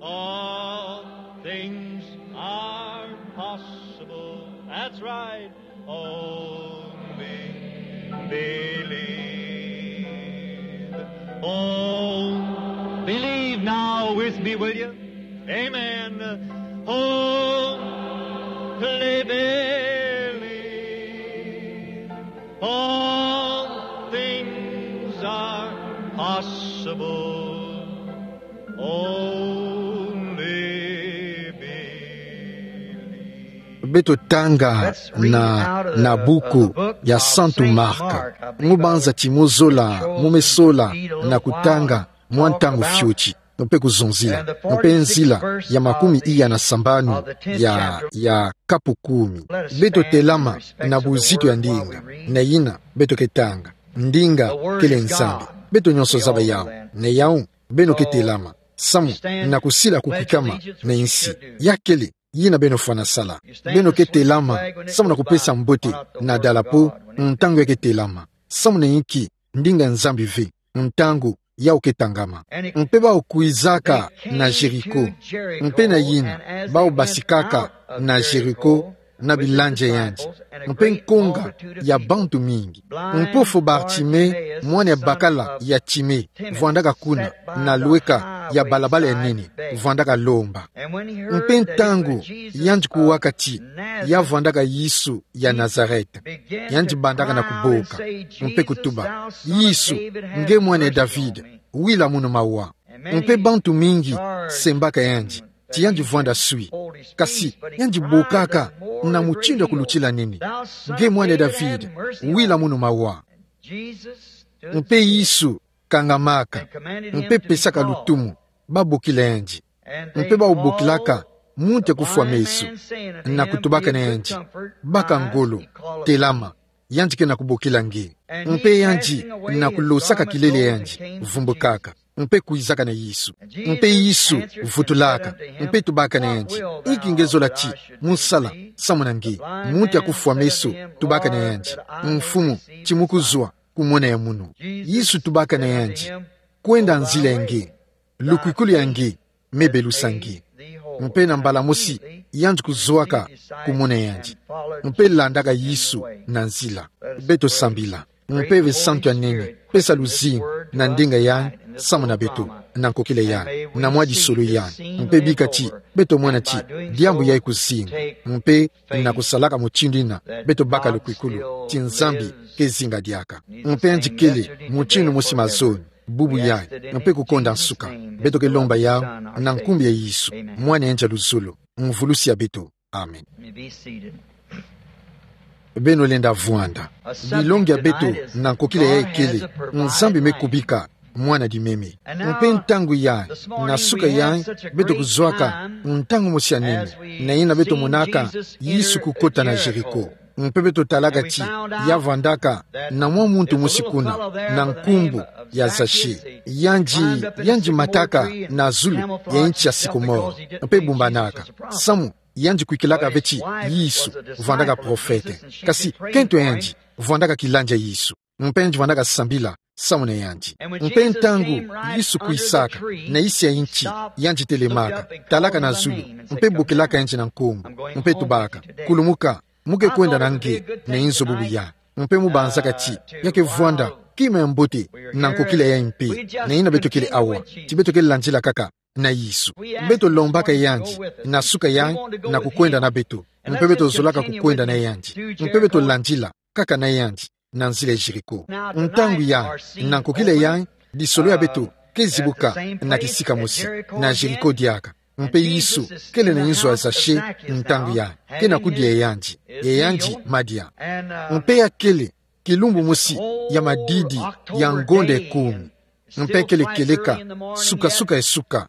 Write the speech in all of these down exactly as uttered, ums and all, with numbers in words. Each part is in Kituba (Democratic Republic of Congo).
All things are possible. That's right. Only believe. Oh, believe now with me, will you? Amen. Only believe. All things are possible. Only believe. Beto tanga na, na buku ya Santu Marc. Mu banza ti mu zola, mu me sola na kutanga mwa ntangu fioti, mpe kuzonzila, mpe nzila ya makumi iya na sambanu ya, ya kapu kumi. Beto telama na buzito ya ndinga, na yina beto ke tanga. Ndinga kele Nzambi. Beto nyonso zaba yawu. Na yawu, beno ke telama. Samu na kusila kukwikama na insi. Ya kele yina beno fwana sala. Beno ke telama samu na kupesa mbote na dalapo ntangu ya ke telama. Samu na inki? Ndinga Nzambi ve ntangu yawu ke tangama. Mpe bawu kwizaka na Jéricho. Mpe na yina, bawu basikaka na Jéricho na bilanja yandi, mpe nkonga ya bantu mingi. Mpofu Bartimée, mwana ya bakala ya Timée, vwandaka kuna, na lweka ya balabala ya nene, vwandaka lomba. Mpe ntangu yandi kuwaka ti ya vwandaka Yesu ya Nazareth, yandi bandaka na kuboka, mpe kutuba: Yesu, nge mwana ya David, wila munu mawa. Mpe bantu mingi sembaka yandi ti yandi vwanda swi. Kasi yandi bokaka na mutindu ya kulutila nene: Nge mwana ya David, wila munu mawa. Mpe Yesu kangamaka, mpe pesaka lutumu babokila yandi. Mpe bawu bokilaka muntu ya kufwa meso, na kutubaka na yandi: Baka ngolo, telama, yandi ke na kubokila nge. Mpe yandi na kulosaka kilele ya yandi, vumbukaka, mpe kwizaka na Yesu. Mpe Yesu vutulaka, mpe tubaka na yandi: Inki nge zola ti mu sala samu na nge? Muntu ya kufwa meso tubaka na yandi: Mfumu, ti mu kuzwa kumona ya munu. Yesu tubaka na yandi: Kwenda nzila ya nge, lukwikulu ya nge me belusa nge. Mpe na mbala mosi yandi kuzwaka kumona yandi, mpe landaka Yesu na nzila. Beto sambila. Mpe ve santu ya nene, pesa luzingu na ndinga yandi samu na beto, na nkokila yandi, na mwa disolo yandi. Mpe bika ti beto mona ti diambu yayi kuzinga, mpe na kusalaka mutindu yina, beto baka lukwikulu ti Nzambi ke zinga diaka. Mpe yandi kele mutindu mosi mazono, bubu yayi, mpe kukonda nsuka. Beto ke lomba yawu na nkumbu ya Yesu, mwana yandi ya luzolo, Mvulusi ya beto. Amen. Beno lenda vwanda. Bilongi ya beto na nkokila yayi kele: Nzambi me kubika mwana dimeme. Mpe ntangu yayi, na suka yayi, beto kuzwaka ntangu mosi ya nene, na yina beto monaka Yesu kukota na Jéricho. Mpe beto talaka ti ya vwandaka na mwa muntu mosi kuna, na nkumbu ya Zachée. Yandi, yandi mataka na zulu ya inti ya sycomore, mpe bumbanaka. Samu yandi kwikilaka ve ti Yesu vwandaka profete. Kasi kento yandi vwandaka kilanja Yesu. Mpe yandi vwandaka sambila samu na yandi. Mpe ntangu Yesu kwisaka na isi ya inti, yandi telemaka, talaka na zulu, mpe bokilaka yandi na nkombo, mpe tubaka: Kulumuka, mu ke kwenda na nge na inzo bubu yayi. Mpe mu banzaka ti ya ke vwanda kima ya mbote na nkokila yayi mpe, na yina beto kele awa, ti beto ke landila kaka na Yesu. Beto lombaka yandi na suka yayi na kukwenda na beto. Mpe beto zolaka kukwenda na yandi. Mpe beto landila kaka na yandi na nzila ya Jéricho. Ntangu yayi, na nkokila yayi, disolo ya beto ke zibuka na kisika mosi, na Jéricho diaka. Mpe Yesu kele na inzo ya Zachée ntangu yayi, ke na kudia yandi, ya yandi madia. Mpe ya kele kilumbu mosi ya madidi ya ngonda ekumi. Mpe kele kieleka suka-suka ya suka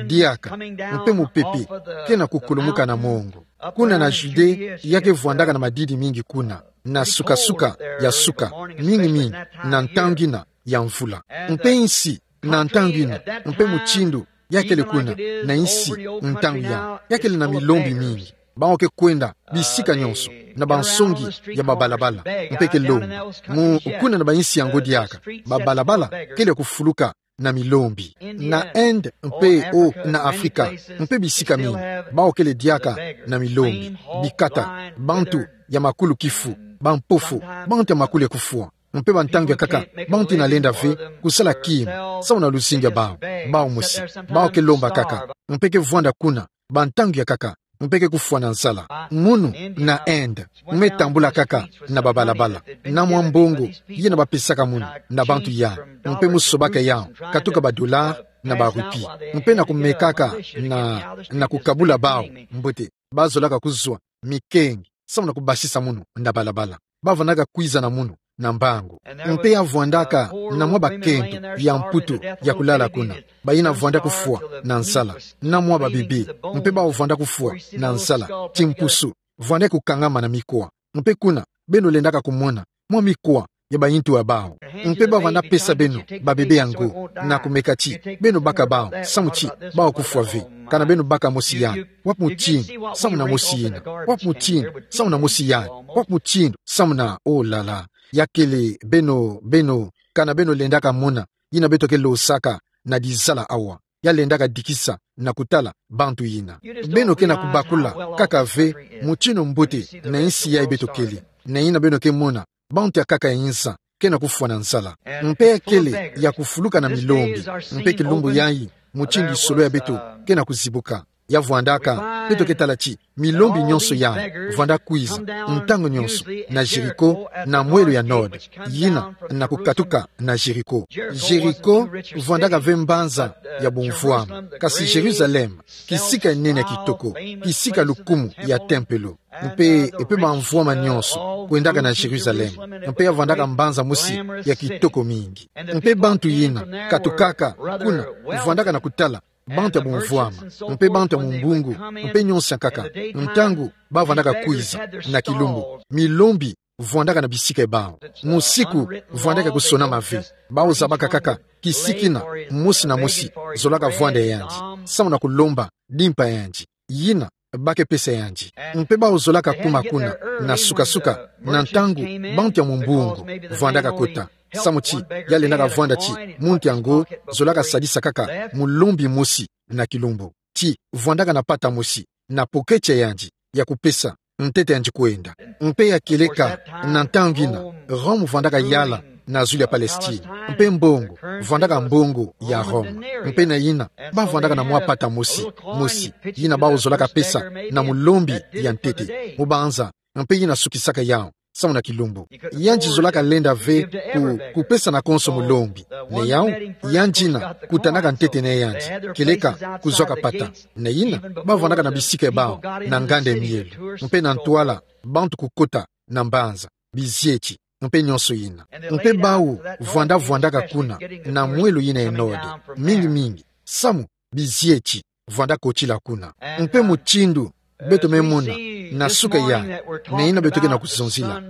diaka, mpe mupepe ke na kukulumuka na mongo. Kuna na Judée, ya ke vwandaka na madidi mingi kuna, na suka-suka ya suka, mingi-mingi, na ntangu yina ya mvula. Mpe insi, na ntangu yina, mpe mutindu ya kele kuna na insi ntangu yayi, ya kele na milombi mingi. Bawu ke kwenda bisika nyonso, na bansongi ya babalabala, mpe ke lomba. Mu kuna na bainsi yango diaka, babalabala kele ya kufuluka na milombi. Na Inde mpe o na Afrika, mpe bisika mingi, bawu kele diaka na milombi, bikata, bantu ya makulu kifu, bampofo, bantu ya makulu ya kufwa. Mpe bantangu ya nkaka, bantu ina lenda ve kusala kimu samu na luzingu ya bawu, bawu mosi, bawu ke lomba kaka, mpe ke vwanda kuna bantangu ya nkaka, mpe ke kufwa na nzala. Munu na Inde, me tambula kaka na babalabala, na mwa mbongo yina bapesaka munu na bantu yai, mpe mu sobaka yawu katuka ba dollars na ba roupies, mpe na kumekaka na, na kukabula bawu mbote, bazolaka kuzwa mikengi samu na kubasisa munu na balabala. Bavwandaka kwiza na munu na mbangu. Mpe ya vwandaka na mwa bakento ya mputu ya kulala kuna, bayina vwanda kufwa na nzala, na mwa babebe, mpe bawu vwanda kufwa na nzala, timpusu, vwanda kukangama na mikwa. Mpe kuna, beno lendaka kumona mwa mikwa ya bayintu ya bawu. Mpe bavwanda pesa beno babebe yango, na kumeka ti beno baka bawu, samu ti bawu kufwa ve. Kana beno baka mosi yai, wapi mutindu samu na mosi yina, wapi mutindu samu na mosi yai, wapi mutindu samu na, oh là là. Ya kele beno, beno, kana beno lendaka mona yina beto ke losaka na dizala awa, ya lendaka dikisa na kutala bantu yina. Beno ke na kubakula kaka ve mutindu mbote na insi yai beto kele, na yina beno ke mona bantu ya nkaka ya inza ke na kufwa na nzala. Mpe ya kele ya kufuluka na milombi, mpe kilumbu yayi, mutindu solo ya beto ke na kuzibuka. Ya vwandaka, beto ke tala ti milombi nyonso yai vwanda kwiza ntangu nyonso na Jéricho, na mwelo ya nord, yina na kukatuka na Jéricho. Jéricho vwandaka ve mbanza ya bumvwama, kasi Jérusalem, kisika ya nene ya kitoko, kisika lukumu ya tempelo, mpe, mpe bamvwama nyonso kwendaka na Jérusalem, mpe ya vwandaka mbanza mosi ya kitoko mingi. Mpe bantu yina katukaka kuna, vwandaka na kutala bantu ya bumvwama, mpe bantu ya mumbungu, mpe nyonso ya nkaka, ntangu bavwandaka kwiza na kilumbu, milombi vwandaka na bisika ya bawu. Musiku vwandaka kusonama ve. Bawu zabaka kaka kisika yina mosi na mosi zolaka vwanda ya yandi, samu na kulomba dimpa ya yandi, yina ba ke pesa yandi. Mpe bawu zolaka kuma kuna na suka-suka, na ntangu bantu ya mumbungu vwandaka kota, samu ti ya lendaka vwanda ti muntu yango zolaka sadisa kaka mulombi mosi na kilumbu, ti vwandaka na pata mosi na poketi ya yandi ya kupesa ntete yandi kwenda. Mpe ya kieleka, na ntangu yina, Rome vwandaka yala na zulu ya Palestine, mpe mbongo vwandaka mbongo ya Rome. Mpe na yina, bavwandaka na mwa pata mosi, mosi, yina bawu zolaka pesa na mulombi ya ntete, mubanza, mpe yina sukisaka yawu samu na kilumbu. Yandi zolaka lenda ve ku, kupesa na konso mulombi. Na yawu, yandi yina kutanaka ntete na yandi, kieleka kuzwaka pata. Na yina, bavwandaka na bisika ya bawu na nganda ya mielo, mpe na ntwala, bantu kukota na mbanza, bizieti, mpe nyonso yina. Mpe bawu vwanda vwandaka kuna na mwelo yina ya nord, mingi-mingi, samu bizieti vwanda kotila kuna. Mpe mutindu beto me mona na suka yayi, na yina beto ke na kuzonzila,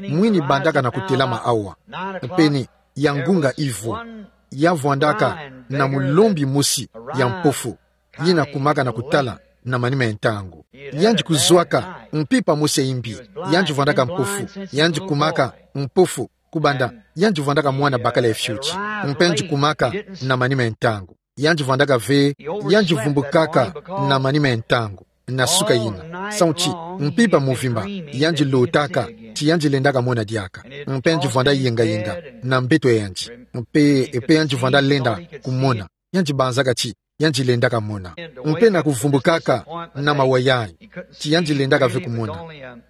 mwini bandaka na kutelama awa, pene ya ngunga ivwa, ya vwandaka na mulombi mosi ya mpofu, yina kumaka na kutala na manima ya ntangu. Yandi kuzwaka mpimpa mosi ya imbi, yandi vwandaka mpofu, yandi kumaka mpofu, kubanda yandi vwandaka mwana bakala ya fioti, mpe yandi kumaka na manima ya ntangu. Yandi vwandaka ve, yandi vumbukaka na manima ya ntangu, na suka yina, samu ti mpimpa muvimba yandi lotaka, ti yandi lendaka mona diaka, mpe yandi vwanda yenga-yenga na mbeto ya yandi, mpe, mpe yandi vwanda lenda kumona. Yandi banzaka ti yandi lendaka mona. Mpe na kuvumbukaka na mawa yayi, ti yandi lendaka ve kumona,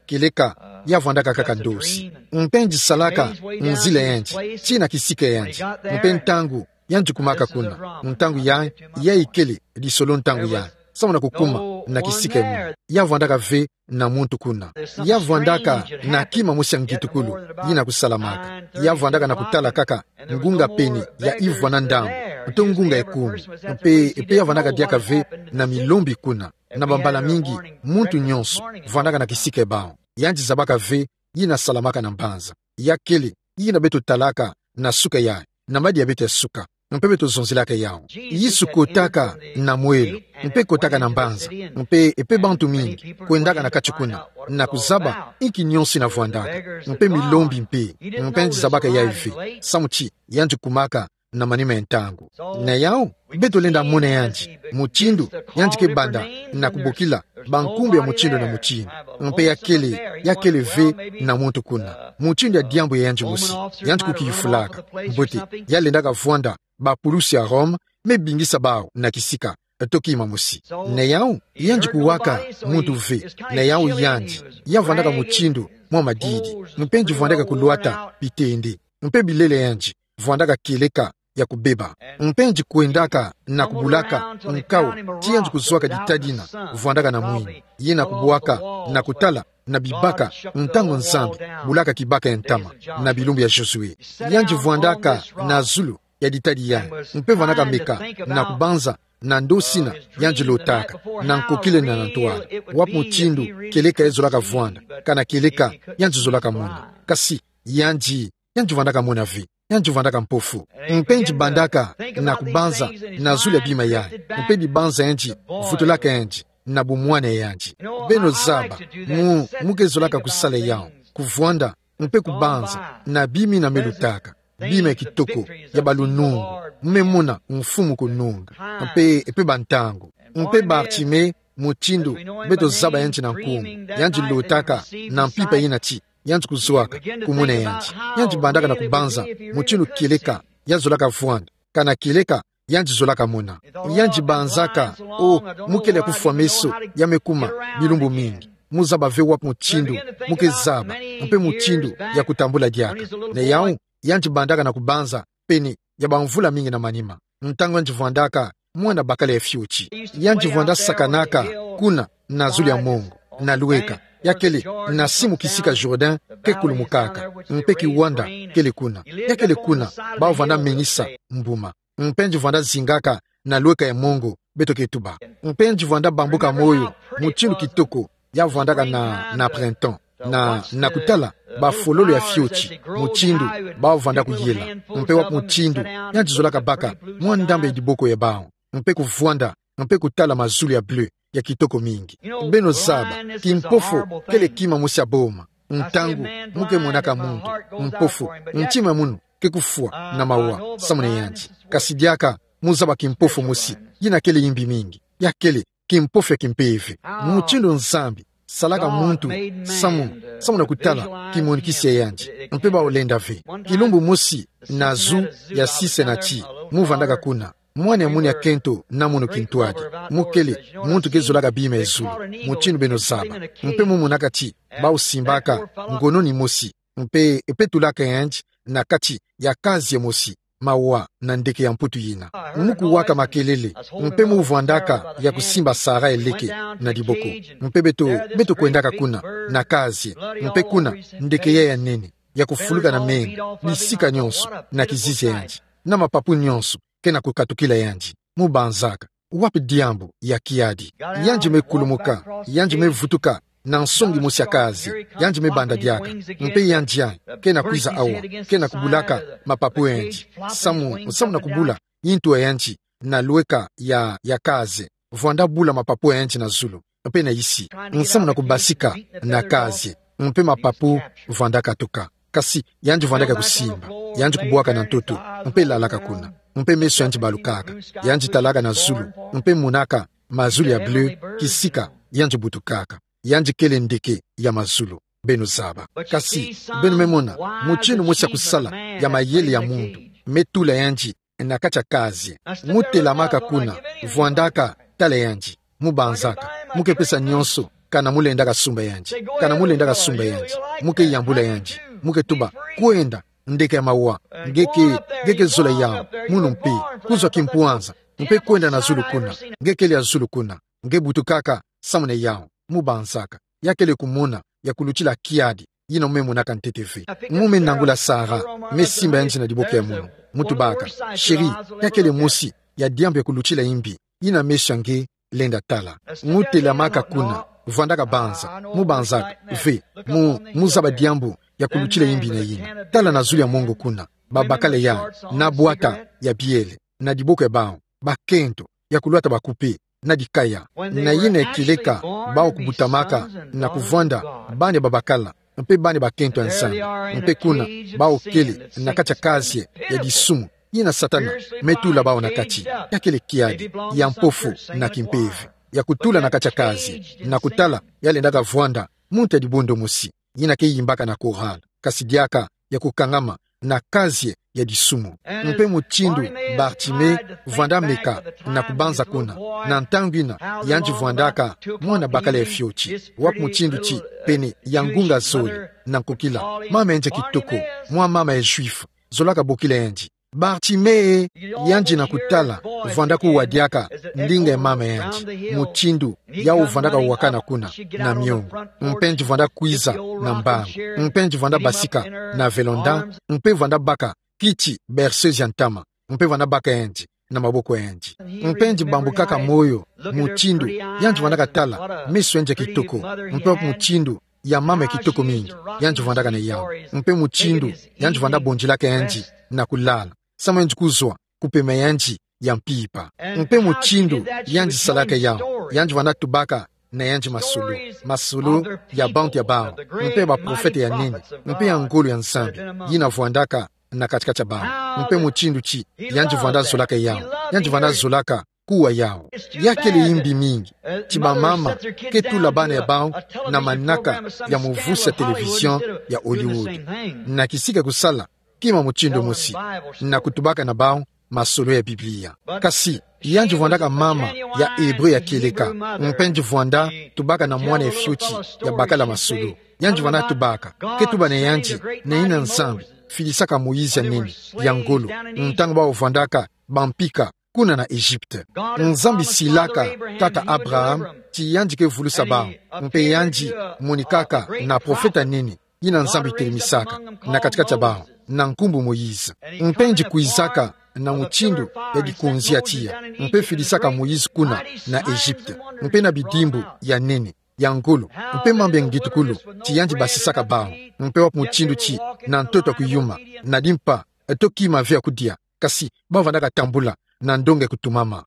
kieleka ya vwandaka kaka ndosi. Mpe yandi salaka nzila ya yandi tii na kisika ya yandi, mpe ntangu yandi kumaka kuna, ntangu yayi, yayi kele lisolo ntangu yayi, samu na kukuma na kisika ya munu. Ya vwandaka ve na muntu kuna. Ya vwandaka na kima mosi ya ngitukulu yina kusalamaka. Ya vwandaka na kutala kaka ngunga pene ya ivwa na ndambu, to ngunga ya kumi. Mpe, mpe ya vwandaka diaka ve na milombi kuna. Na bambala mingi, muntu nyonso vwandaka na kisika ya bawu. Yandi zabaka ve yina salamaka na mbanza. Ya kele yina beto talaka na suka yayi, na madia ya beto ya suka, mpe beto zonzilaka yawu. Yesu kotaka na mwelo, mpe kotaka na mbanza, mpe, mpe bantu mingi kwendaka na kati kuna, na kuzaba inki nyonso yina vwandaka, mpe milombi mpe, mpe yandi zabaka yayi ve, samu ti yandi kumaka na manima ya ntangu. Na yau, beto lenda mona yandi, mutindu yandi ke banda na kubokila bankumbu ya mutindu na mutindu. Mpe ya kele, ya kele ve na muntu kuna mutindu ya diambu ya yandi mosi, yandi kukiyufulaka. Mbote, ya lendaka vwanda bapulusi ya Rome me bingisa bau na kisika, to kima mosi. Na yau, yandi kuwaka muntu ve. Na yau yandi, ya vwandaka mutindu mwa madidi, mpe yandi vwandaka kulwata bitende, mpe bilele ya yandi vwandaka kieleka ya kubeba. Mpe yandi kwendaka na kubulaka nkao ti yandi kuzwaka dita dina, vwandaka na mwini, yina kubwaka na kutala na bibaka ntangu Nzambi bulaka kibaka ya ntama na bilumbu ya Josué. Yandi vwandaka na zulu ya dita di yandi, mpe vwandaka meka na kubanza na ndosi na yandi lotaka, na nkokila na ntwala, wapi mutindu kieleka ya zolaka vwanda, kana kieleka yandi zolaka mona. Kasi yandi, yandi vwandaka mona ve, yandi vwandaka mpofu. Mpe yandi bandaka na kubanza na zulu ya bima yandi, mpe dibanza yandi vutulaka yandi na bumwana ya yandi. Beno zaba, mu, mu ke zolaka kusala yau, kuvwanda, mpe kubanza na bima yina me lutaka, bima ya kitoko, ya balunungu, me mona Mfumu kununga, mpe, mpe bantangu. Mpe Bartimée, mutindu beto zaba yandi na nkumbu, yandi lotaka na mpimpa yina ti yandi kuzwaka kumona yandi. Yandi bandaka na kubanza mutindu kieleka ya zolaka vwanda, kana kieleka yandi zolaka mona. Yandi banzaka, o, mu kele ya kufwa meso, ya me kuma bilumbu mingi. Mu zaba ve wapi mutindu mu ke zaba, mpe mutindu ya kutambula diaka. Na yau, yandi bandaka na kubanza pene ya bamvula mingi na manima, ntangu yandi vwandaka mwana bakala ya fioti. Yandi vwanda sakanaka kuna na zulu ya mongo, na lweka, ya kele na simu kisika Jourdain ke kulumukaka, mpe kiwanda kele kuna. Ya kele kuna bau vwanda menisa mbuma. Mpe yandi vwanda zingaka na lweka ya mongo, beto ke tuba. Mpe yandi vwanda bambuka moyo mutindu kitoko ya vwandaka na, na printemps, na, na kutala bafololo ya fioti, mutindu bau vwanda kuyela, mpe wapi mutindu yandi zolaka baka mwa ndambu ya diboko ya bau, mpe kuvwanda, mpe kutala mazulu ya bleu ya kitoko mingi. Beno zaba, kimpofo kele kima mosi ya boma. Ntangu mu ke monaka muntu mpofu, ntima munu ke kufwa na mawa samu na yandi. Kasi diaka mu zaba kimpofo mosi, yina kele yimbi mingi. Ya kele kimpofo ya kimpeve. Mutindu Nzambi salaka muntu samu, samu na kutala kimonikisi ya yandi. Mpe bau lenda ve. Kilumbu mosi na zu ya sisa na ti, mu vwandaka kuna mwana ya munu ya kento na munu kintwadi. Mu kele muntu ke zolaka bima ya zulu, mutindu beno zaba. Mpe mu monaka ti bau simbaka ngono ni mosi, mpe, mpe tulaka yandi na kati ya kazi ya mosi, mawa na ndeke ya mputu yina. Mu kuwaka makelele, mpe mu vwandaka ya kusimba Sarah ya leke na diboko. Mpe beto, beto kwendaka kuna na kazi, mpe kuna ndeke ya, ya nene ya kufuluka na menga bisika nyonso na kizizi ya yandi, na mapapu nyonso ke na kukatukila yandi. Mu banzaka, wapi diambu ya kiadi? Yandi me kulumuka, yandi me vutuka na nsongi mosi ya kazi, yandi me banda diaka, mpe yandi yayi ke na kwiza awa, ke na kubulaka mapapu ya yandi, samu, samu na kubula yintu ya yandi na lweka ya, ya kazi, vwanda bula mapapu ya yandi na zulu mpe na isi, samu na kubasika na kazi, mpe mapapu vwanda katuka. Kasi yandi vwandaka kusimba, yandi kubwaka na ntoto, mpe lalaka kuna. Mpe meso ya yandi balukaka, yandi talaka na zulu, mpe monaka mazulu ya bleu kisika yandi butukaka. Yandi kele ndeke ya mazulu, beno zaba. Kasi, beno me mona mutindu mosi ya kusala ya mayele ya muntu me tula yandi na kati ya kazi. Mu telamaka kuna, vwandaka tala yandi, mu banzaka, mu ke pesa nyonso, kana mu lendaka sumba yandi, kana mu lendaka sumba yandi, mu ke yambula yandi, mu ke tuba: Kwenda, ndeke ya mawa, nge ke, nge ke zola yau munu mpe, kuzwa kimpwanza, mpe kwenda na zulu kuna, nge kele ya zulu kuna, nge butukaka samu na yau. Mu banzaka, ya kele kumona ya kulutila kiadi yina mu me monaka ntete ve. Mu me nangula Sarah, me simba yandi na diboko ya munu, mu tubaka: Chérie, ya kele mosi ya diambu ya kulutila yimbi yina meso ya nge lenda tala. Mu telamaka kuna, vwandaka banza, mu banzaka ve, mu, mu zaba diambu ya kulutila yimbi na yina. Tala na zulu ya mongo kuna, babakala yayi na bwata ya biele na diboko ya bau, bakento ya kulwata bakupe na dikaya. Na yina ya kieleka bau kubutamaka na kuvwanda bana ya babakala mpe bana ya bakento ya Nzambi. Mpe kuna bau kele na kati ya kazi ya disumu yina Satana me tula bawu na kati. Ya kele kiadi ya mpofu na kimpeve ya kutula na kati ya kazi, na kutala ya lendaka vwanda muntu ya dibundu mosi, yina ke yimbaka na korale, kasi diaka ya kukangama na kazi ya disumu. Mpe mutindu Bartime vwanda meka na kubanza kuna, na ntangu yina yandi vwandaka mwana bakala ya fioti, wapi mutindu ti pene ya ngunga zole na nkokila, mama yandi ya kitoko, mwa mama ya Juif, zolaka bokila yandi. Bartime, yandi na kutala, vwanda kuwa diaka ndinga ya mama yandi, mutindu yawu vwandaka wakana kuna na miongo, mpe yandi vwanda kwiza na mbangu, mpe yandi vwanda basika na velonda, mpe vwanda baka kiti berceuse ya ntama, mpe vwanda baka yandi na maboko yandi. Mpe yandi bambukaka moyo mutindu yandi vwandaka tala meso yandi ya kitoko, mpe wapi mutindu ya mama ya kitoko mingi yandi vwandaka na yawu, mpe mutindu yandi vwanda bondilaka yandi na kulala, samu yandi kuzwa kupema yandi ya mpimpa. Mpe mutindu yandi salaka yawu, yandi vwanda tubaka na yandi masolo, masolo ya bantu ya bawu, mpe baprofete ya nene, mpe ya ngolo ya Nzambi yina vwandaka na kati-kati ya bawu. Mpe mutindu ti yandi vwanda zolaka yawu, yandi vwanda zolaka kuwa yawu. Ya kele yimbi mingi ti bamama ke tula bana ya bawu na manaka ya muvusi ya télévision ya Hollywood, na kisika kusala kima mutindu mosi, na kutubaka na bawu masolo ya Biblia. Kasi yandi vwandaka mama ya Hébreu ya kieleka, mpe yandi vwanda tubaka na mwana ya fioti ya bakala masolo. Yandi vwanda tubaka, ke tuba na yandi na yina Nzambi filisaka Moïse ya nene, ya ngolo, ntangu bawu vwandaka bampika kuna na Egypte. Nzambi silaka tata Abraham ti yandi ke vulusa bawu, mpe yandi monikaka na profeta nene yina Nzambi telemisaka na kati-kati ya bawu, na nkumbu Moïse. Mpe yandi kwizaka na mutindu ya dikonzi ya tiya, mpe filisaka Moïse kuna na Egypte, mpe na bidimbu ya nene, ya ngolo, mpe mambu ya ngitukulu ti yandi basisaka bawu, mpe wapi mutindu ti na ntoto ya kuyuma, na dimpa, to kima ve ya kudia, kasi bawu vwandaka tambula na ndonga ya kutumama.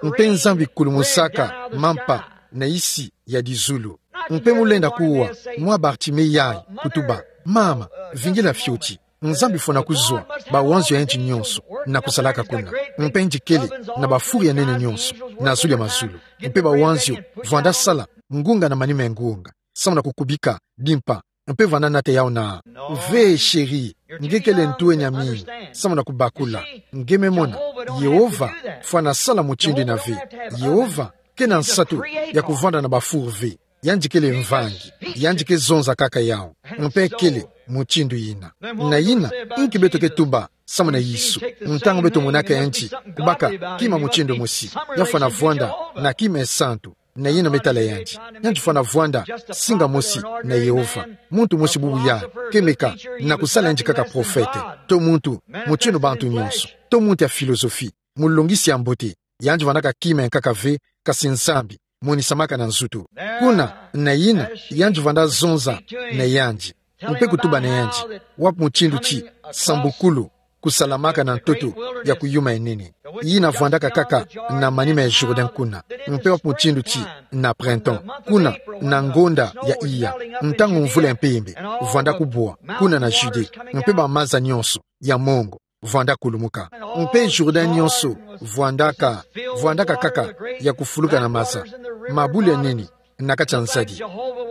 Mpe Nzambi kulumusaka mampa na yisi ya dizulu. Mpe mu lenda kuwa mwa Bartime yayi kutuba: Mama, vingila fioti, Nzambi fwana kuzwa bawanzio ya yandi nyonso na kusalaka kuna. Mpe yandi kele na bafuru ya nene nyonso na zulu ya mazulu, mpe bawanzio vwanda sala ngunga na manima ya ngunga, samu na kukubika dimpa, mpe vwanda nata yawu na: Ve, chéri, nge kele ntwenya mingi samu na kubakula. Nge me mona, Yehova fwana sala mutindu yina ve. Yehova kena nsatu ya kuvwanda na bafuru ve. Yandi kele mvangi, yandi ke zonza kaka yawu, mpe kele mutindu yina. Na yina, inki beto ke tuba samu na Yesu, ntangu beto monaka yandi kubaka kima mutindu mosi? Ya fwana vwanda na kima ya santu, na yina me tala yandi. Yandi fwana vwanda singa mosi na Yehova. Muntu mosi bubu yayi ke meka na kusala yandi kaka profete, to muntu mutindu bantu nyonso, to muntu ya philosophie, mulongisi ya mbote. Yandi vwandaka kima ya nkaka ve, kasi Nzambi monisamaka na nzutu. Kuna, na yina, yandi vwanda zonza na yandi, mpe kutuba na yandi wapi mutindu ti sambukulu kusalamaka na ntoto ya kuyuma ya nene, yina vwandaka kaka na manima ya Jourdain kuna, mpe wapi mutindu ti na printemps, kuna na ngonda ya iya, ntangu mvula ya mpembe vwanda kubwa kuna na Judée, mpe bamaza nyonso ya mongo vwanda kulumuka. Mpe Jourdain nyonso vwandaka, vwandaka kaka ya kufuluka na maza, mabulu ya nene na kati ya nzadi.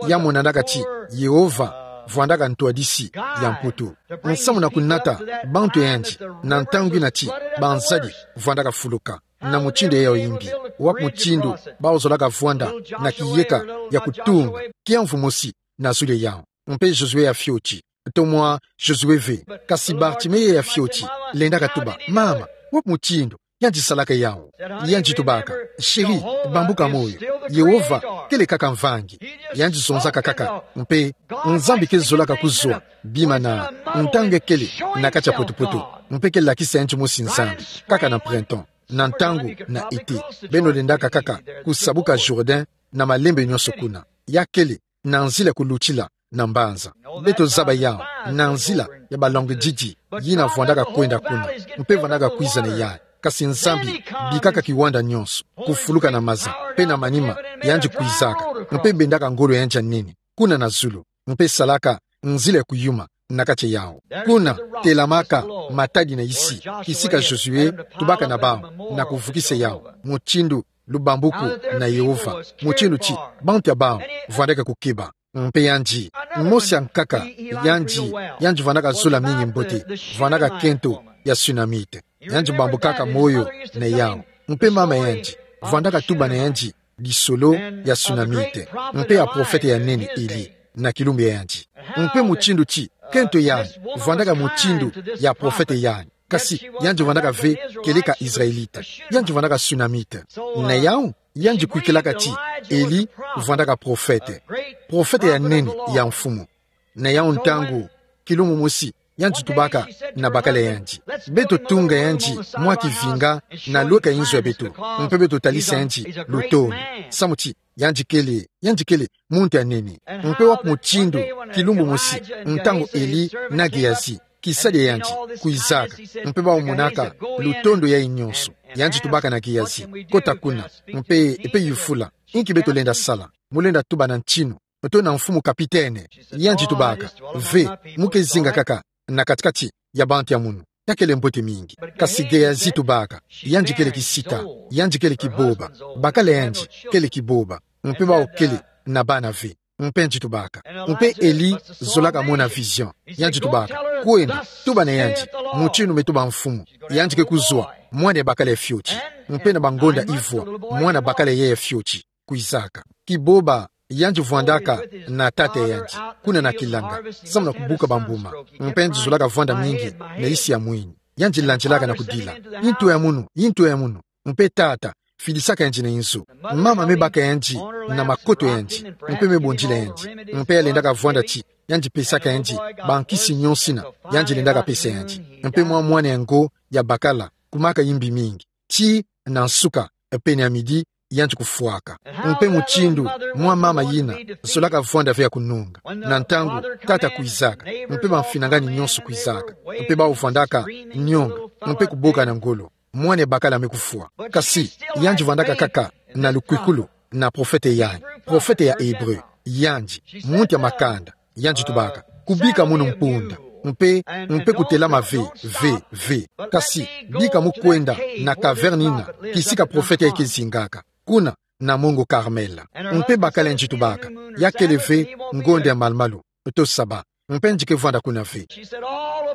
Ya monanaka ti Yehova vwandaka ntwadisi ya mputu, samu na kunata bantu ya yandi na ntangu yina ti banzadi vwandaka fuluka. Na mutindu yayi ya yimbi, wapi mutindu bawu zolaka vwanda na kiyeka ya kutunga kiamvu mosi na zulu ya yawu? Mpe Josué ya fioti, to mwa Josué ve, kasi Bartimée ya fioti, lendaka tuba: Mama, wapi mutindu yandi salaka yawu? Yandi tubaka: Chéri, bambuka moyo, Yehova kele kaka mvangi. Yandi zonzaka kaka, mpe Nzambi ke zolaka kuzwa bima na ntangu ya kele na kati ya poto-poto, mpe ke lakisa yandi mosi Nzambi, kaka na printemps, na ntangu na été, beno lendaka kaka kusabuka Jourdain na malembe nyonso kuna. Ya kele na nzila ya kulutila na mbanza. Beto zaba yawu na nzila ya balangididi yina vwandaka kwenda kuna, mpe vwandaka kwiza na yayi. Kasi Nzambi bikaka kiwanda nyonso kufuluka na maza, mpe na manima yandi kwizaka, mpe bendaka ngolo ya yandi ya nene kuna na zulu, mpe salaka nzila ya kuyuma na kati yau. Kuna telamaka matadi na isi, kisika Josué tubaka na bau, na kuvukisa yau, mutindu lubambuku na Yehova, mutindu ti bantu ya bau vwandaka kukeba. Mpe yandi, mosi ankaka, yandi, yandi vwandaka zola mingi mbote, vwandaka kento ya Sunamite. Yandi bambukaka moyo na yau. Mpe mama yandi vwandaka tuba na yandi lisolo ya Sunamite, mpe ya profete ya nene Eli, na kilumbu ya yandi. Mpe mutindu ti kento yandi vwandaka mutindu ya profete yandi. Kasi yandi vwandaka ve keleka Israelita. Yandi vwandaka Sunamite. Na yau, yandi kwikilaka ti Eli vwandaka profete, profete ya nene ya Mfumu. Na yau ntangu, kilumbu mosi, yandi tubaka na bakala yandi: Beto tunga yandi mwa kivinga na lweka inzo ya beto, mpe beto talisa yandi lutondo. Samu ti yandi kele, yandi kele muntu ya nene. Mpe wapi mutindu, kilumbu mosi, ntangu Eli na Gehazi, kisadi ya yandi, kwizaka, mpe bau monaka lutondo yayi nyonso, yandi tubaka na Gehazi: Kota kuna, mpe, mpe yufula, inki beto lenda sala? Mu lenda tuba na ntinu, to na mfumu kapitene? Yandi tubaka: Ve, mu ke zinga kaka na kati-kati ya bantu ya munu. Ya kele mbote mingi. Kasi Gehazi tubaka: Yandi kele kisita, yandi kele kiboba, bakala yandi kele kiboba, mpe bau kele na bana ve. Mpe yandi tubaka. Mpe Eli zolaka mona vision. Yandi tubaka: Kwenda, tuba na yandi: Mutindu me tuba Mfumu: Yandi ke kuzwa mwana ya bakala ya fioti, mpe na bangonda ivwa mwana bakala yayi ya fioti kwizaka. Kiboba yandi vwandaka na tata ya yandi, kuna na kilanga, samu na kubuka bambuma. Mpe yandi zolaka vwanda mingi na isi ya mwini. Yandi landilaka na kudila: Intu ya munu, intu ya munu. Mpe tata fidisaka yandi na inzo. Mama me baka yandi na makoto ya yandi, mpe me bondila yandi. Mpe ya lendaka vwanda ti yandi pesaka yandi bankisi nyonsina yandi lendaka pesa yandi. Mpe mwa mwana ya ngo ya bakala, kumaka imbi mingi. Tii na nsuka, pene ya midi, yandi kufwaka. Mpe mutindu mwa mama yina zolaka vwanda ve ya kununga, na ntangu tata kwizaka, mpe bamfinangani nyonso kwizaka, mpe bau vwandaka nionga, mpe kuboka na ngolo: Mwana ya bakala me kufwa. Kasi yandi vwandaka kaka na lukwikulu na profete yayi, profete ya Ebre. Yandi, muntu ya makanda. Yandi tubaka: Kubika munu mpunda, mpe, mpe kutelama ve, ve, ve. Kasi bika mu kwenda na caverne yina kisika profete yayi ke zingaka, kuna na mongo Karmela. Mpe bakala yandi tubaka: Ya kele ve ngonda ya malu-malu, to saba, mpe yandi ke vwanda kuna ve.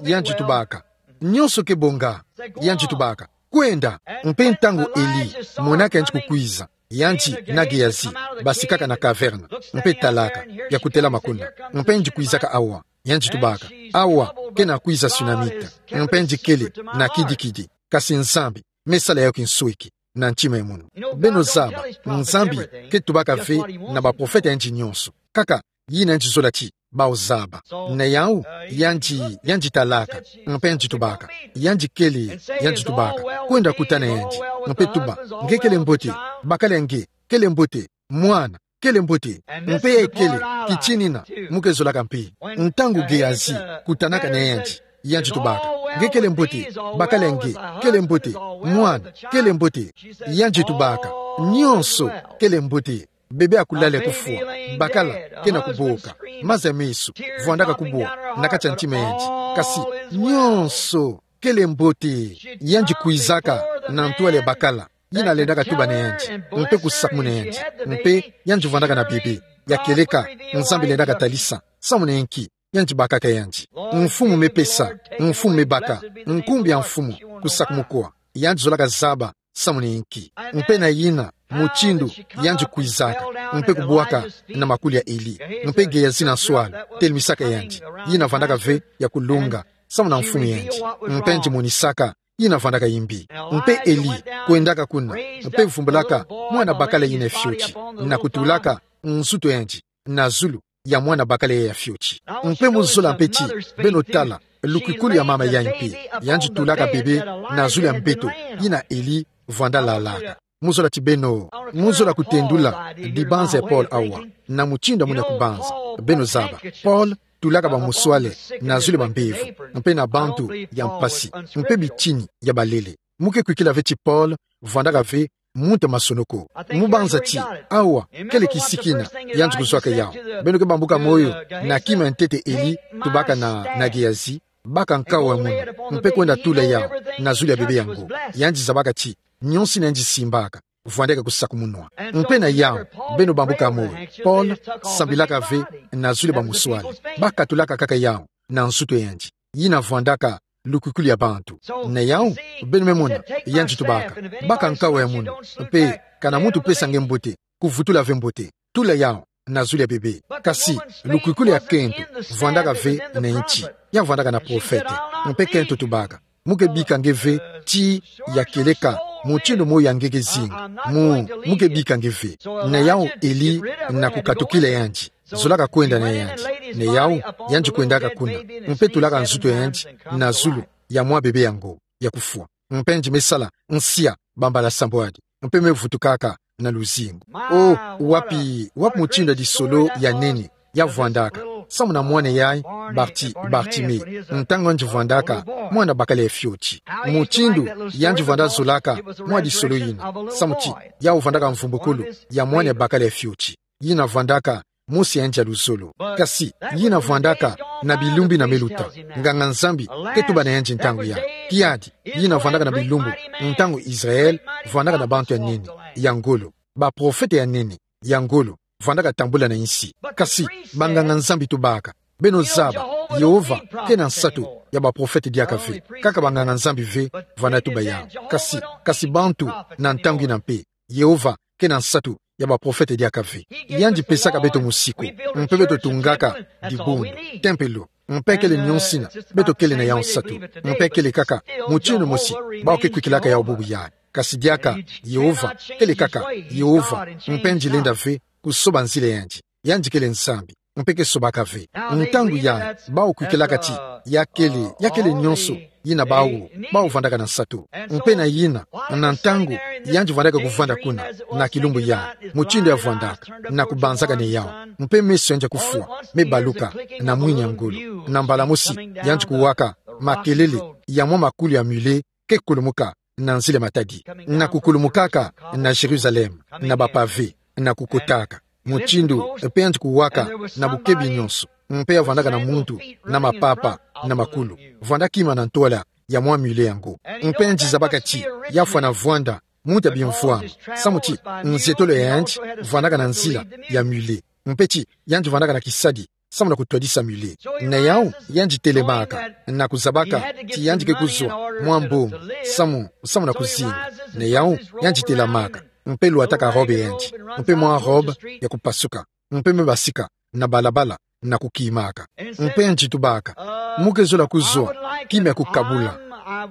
Yandi tubaka: Nyonso ke bonga. Yandi tubaka: Kwenda. Mpe ntangu Eli monaka yandi kukwiza, yandi na Gehazi basikaka na caverne, mpe talaka, ya kutelama kuna. Mpe yandi kwizaka awa. Yandi tubaka: Awa, kena kwiza Sunamite. Mpe yandi kele na kidi-kidi. Kasi Nzambi me sala yo kinsweki na ntima ya munu. Beno zaba, Nzambi ke tubaka ve na baprofete ya yandi nyonso, kaka yina yandi zola ti bau zaba. Na yau, yandi, yandi talaka, mpe yandi tubaka: Yandi kele, yandi tubaka: Kwenda kutana yandi, mpe tuba: Nge kele mbote, bakala nge kele mbote, mwana kele mbote. Mpe ya kele kitinina mu ke zolaka mpe. Ntangu Gehazi kutanaka na yandi, yandi tubaka: Nge kele mbote, bakala nge kele mbote, mwana kele mbote. Yandi tubaka: Nyonso kele mbote. Bebe akulala, kufwa. Bakala kena kuboka. Maza ya meso vwandaka kubwa na kati ya ntima ya yandi. Kasi nyonso kele mbote. Yandi kwizaka na ntwala ya bakala yina lendaka tuba na yandi, mpe kusakumuna yandi. Mpe yandi vwandaka na bebe ya kieleka Nzambi lendaka talisa. Samu na inki? Yandi bakaka yandi: Mfumu me pesa, Mfumu me baka, nkumbu ya Mfumu kusakumukwa. Yandi zolaka zaba samu na inki. Mpe na yina mutindu yandi kwizaka, mpe kubwaka na makuli ya Eli, mpe Gehazi na nswala telemisaka yandi, yina vwandaka ve ya kulunga samu na mfumu ya yandi, mpe yandi monisaka yina vwandaka imbi. Mpe Eli kwendaka kuna, mpe vumbulaka mwana bakala yina ya fioti, na kutulaka nzutu ya yandi na zulu ya mwana bakala ya fioti. Mpe mu zola mpe ti beno tala lukwikulu ya mama yayi mpe, yandi tulaka bebe na zulu ya mbeto yina Eli vwanda lalaka. Mu zola ti beno, mu zola kutendula dibanza ya Paul awa, na mutindu ya muna kubanza. Beno zaba, Paul tulaka bamuswale na zulu ya bambevo, mpe na bantu ya mpasi, mpe bitini ya balele. Mu ke kwikila ve ti Paul vwandaka ve muntu masonoko. Mu banza ti, awa, kele kisiki ina, yandi kuzwaka yawu. Beno ke bambuka moyo, na kima ya ntete Eli, tubaka na, na Gehazi, baka nkao ya munu, mpe kwenda tula yawu, na zulu ya bebe yango. Yandi zabaka ti, nionso ina yandi simbaka, vwandaka kusakumunwa. Mpe na yawu, beno bambuka moyo, Paul, sambilaka ve, na zulu ya bamuswali, bakatulaka kaka yawu, na nzutu ya yandi. Yina vwandaka, lukukulu ya bantu. Na yawu, beno me mona, yandi tubaka, baka nkao ya munu, mpe, kana muntu pesa nge mbote, kuvutula ve mbote, tula yawu, na zulu ya bebe. Kasi, lukukulu ya kento, vwandaka ve na inti, ya vwandaka na profete, mpe kento tubaka. Mu ke bika nge ve, ti, ya kieleka, mutindu moyo ya nge ke zinga, mu, mu ke bika nge ve. Na yawu Eli, na kukatukila yandi, zolaka kwenda na yandi. Na yawu, yandi kwendaka kuna, mpe tulaka nzutu ya yandi, na zulu, ya mwa bebe yango, ya kufwa. Mpe yandi me sala, nsia, bambala sambwadi. Mpe me vutukaka, na luzingu. O, wapi, wapi mutindu ya disolo ya nene, ya vwandaka. Samu na mwana yayi, Barti-, Bartime. Ntangu yandi vwandaka, mwana bakala ya fioti. Mutindu, yandi vwanda zolaka, mwa disolo yina. Samu ti, yawu vwandaka mvumbukulu, ya mwana bakala ya fioti. Yina vwandaka, mosi ya yandi ya luzolo. Kasi, yina vwandaka na bilumbu ina me luta. Nganga-Nzambi, ke tuba na yandi ntangu yayi. Kiadi, yina vwandaka na bilumbu, ntangu Israël, vwandaka na bantu ya nene, ya ngolo. Baprofete ya nene, ya ngolo, vwandaka tambula na insi. Kasi, banganga-Nzambi tubaka. Beno zaba, Yehova, ke na nsatu, ya baprofete diaka ve. Kaka banganga-Nzambi ve, vwanda tuba yawu. Kasi, kasi bantu, na ntangu ina mpe. Yehova, ke na nsatu, ya baprofete diaka ve. Yandi pesaka beto musiku, mpe beto tungaka, dibundu, tempelo, mpe kele nionso ina, beto kele na yawu nsatu, mpe kele kaka, mutindu mosi, bawu ke kwikilaka yawu bubu yayi. Kasi diaka, Yehova, kele kaka, Yehova, mpe yandi lenda ve, kusoba nzila ya yandi. Yandi kele Nzambi, mpe ke sobaka ve. Ntangu yayi, bawu kwikilaka ti, ya kele, ya kele nionso, yina bawu, bawu vwandaka na nsatu. Mpe na yina, na ntangu, yandi vwandaka kuvwanda kuna, na kilumbu yayi, mutindu ya vwandaka, na kubanzaka na yawu. Mpe meso ya yandi ya kufwa, me baluka, na mwini ya ngolo. Na mbala mosi, yandi kuwaka, makelele, ya mwa makulu ya mule, ke kulumuka, na nzila ya matadi. Na kukulumukaka, na Jérusalem, na bapave, na kukotaka. Mutindu, mpe yandi kuwaka, na bukebi nionso. Mpe ya vwandaka na muntu, na mapapa, na makulu. Vwanda kima na ntwala, ya mwa mule yango. Mpe yandi zabaka ti, ya fwana vwanda, muntu ya bimvwama. Samu ti, nzietolo ya yandi, vwandaka na nzila, ya mule. Mpe ti, yandi vwandaka na kisadi, samu na kutwadisa mule. Na yawu, yandi telamaka, na kuzabaka, ti yandi ke kuzwa, mwa mbongo, samu, samu na kuzinga. Na yawu, yandi telamaka, mpe lwataka robe ya yandi, mpe mwa robe ya kupasuka, mpe me basika, na balabala, na kukimaka. Mpe yandi tubaka, mu ke zola kuzwa, kima ya kukabula,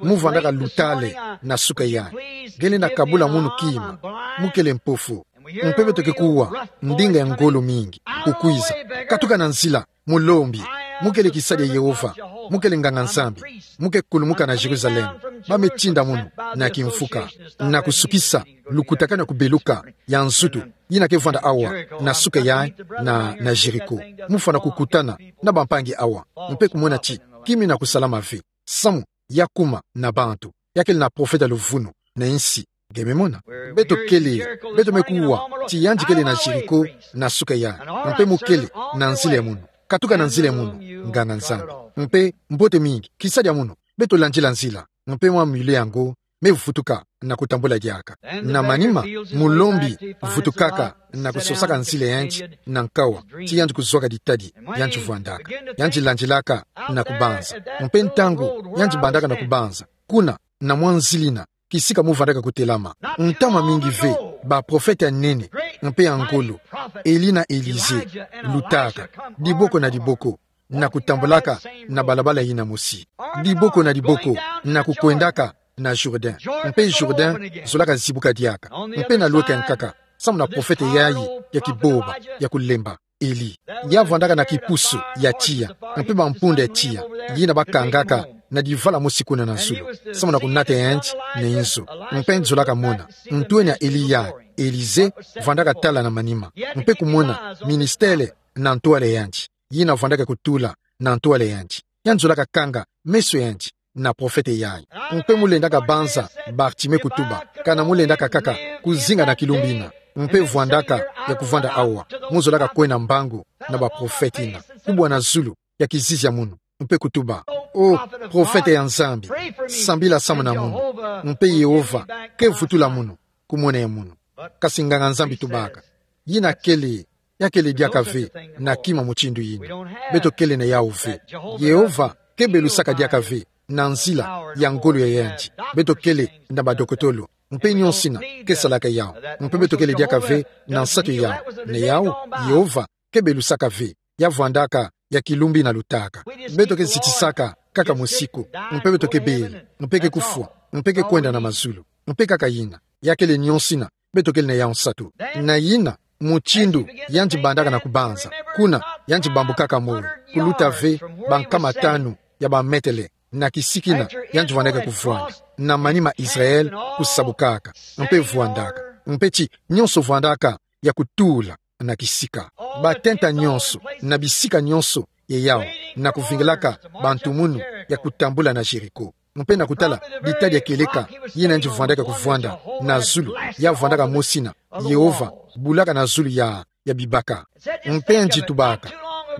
mu vwandaka lutale, na suka yayi. Nge lenda kabula munu kima, mu kele mpofu, Mpe beto ke kuwa, ndinga ya ngolo mingi, kukwiza. Katuka na nzila, mulombi, mu kele kisadi ya Yehova, mu kele nganga-Nzambi, mu ke kulumuka na Jérusalem, ba me tinda munu, na kimfuka, na kusukisa, lukutakanu ya kubeluka, ya nzutu, yina ke vwanda awa, na suka yayi, na, na Jéricho. Mu fwana kukutana, na bampangi awa, mpe kumona ti, kima yina kusalama ve. Samu, ya kuma, na bantu, ya kele na profeta luvunu, na insi, nge me mona. Beto kele, beto me kuwa, ti yandi kele na Jéricho, na suka yayi, mpe mu kele, na nzila ya munu. Katuka na nzila ya munu, nganga-Nzambi. Mpe, mbote mingi, kisadi ya munu, beto landila nzila, mpe mwa mule yango, me vutuka, na kutambula diaka. Na manima, mulombi, vutukaka, na kusosaka nzila ya yandi, na nkawa, ti yandi kuzwaka ditadi, yandi vwandaka. Yandi landilaka, na kubanza. Mpe ntangu, yandi bandaka na kubanza. Kuna, na mwa nzila yina, kisika mu vandaka kutelama. Ntama mingi ve, baprofete ya nene, mpe ya ngolo, Eli na Elize, lutaka, diboko na diboko, na kutambulaka, na balabala yina mosi. Diboko na diboko, na kukwendaka, na Jourdain. Mpe Jourdain, zolaka zibuka diaka. Mpe na lweka nkaka, samu na profete yayi, ya kiboba, ya kulemba. Eli. Ya vandaka na kipusu ya tiya, mpe bampunda ya tiya, yina bakangaka na divala mosi kuna na zulu, samu na kunata yandi na inzo. Mpe nzolaka mona, ntwenya Eli ya Elize vandaka tala na manima, mpe kumona ministele na ntwala yandi, yina vandaka kutula na ntwala yandi. Yandi zolaka kanga meso yandi na profete yayi. Mpe mu lendaka banza Bartime kutuba, Kana mulendaka kaka kuzinga na kilumbu ina, mpe vwandaka ya kuvwanda awa, muzolaka kwenda mbangu na baprofete ina, kubwa na zulu ya kizizi ya munu, mpe kutuba: O profete ya Nzambi, sambila samu na munu, mpe Yehova ke vutula munu, kumwena ya munu. Kasi nganga-Nzambi tubaka: Yina kele, ya kele diaka ve na kima mutindu yina. Beto kele na yawu ve. Yehova ke belusaka diaka ve na nzila ya ngolo ya yandi. Beto kele na badokotolo, mpe nionso ina ke salaka yawu. Mpe beto kele diaka ve na nsatu ya yawu. Na yawu, Yehova ke belusaka ve. Ya vwandaka ya kilumbu ina lutaka. Beto ke zitisaka kaka mosiku, mpe beto ke bela, mpe ke kufwa, mpe ke kwenda na mazulu. Mpe kaka yina. Ya kele nionso ina, beto kele na yawu nsatu. Na yina, mutindu yandi bandaka na kubanza, kuna yandi bambukaka moyo, kuluta ve bankama tanu ya bametele na kisika ina yandi vwandaka kuvwanda, na manima Israël kusabukaka, mpe vwandaka, mpe ti nionso vwandaka ya kutula na kisika. Batenta nionso, na bisika nionso ya yawu, na kuvingilaka bantu munu ya kutambula na Jéricho. Mpe na kutala bitadi ya kieleka yina yandi vwandaka kuvwanda na zulu, ya vwandaka mosi ina: Yehova bulaka na zulu ya, ya bibaka. Mpe yandi tubaka: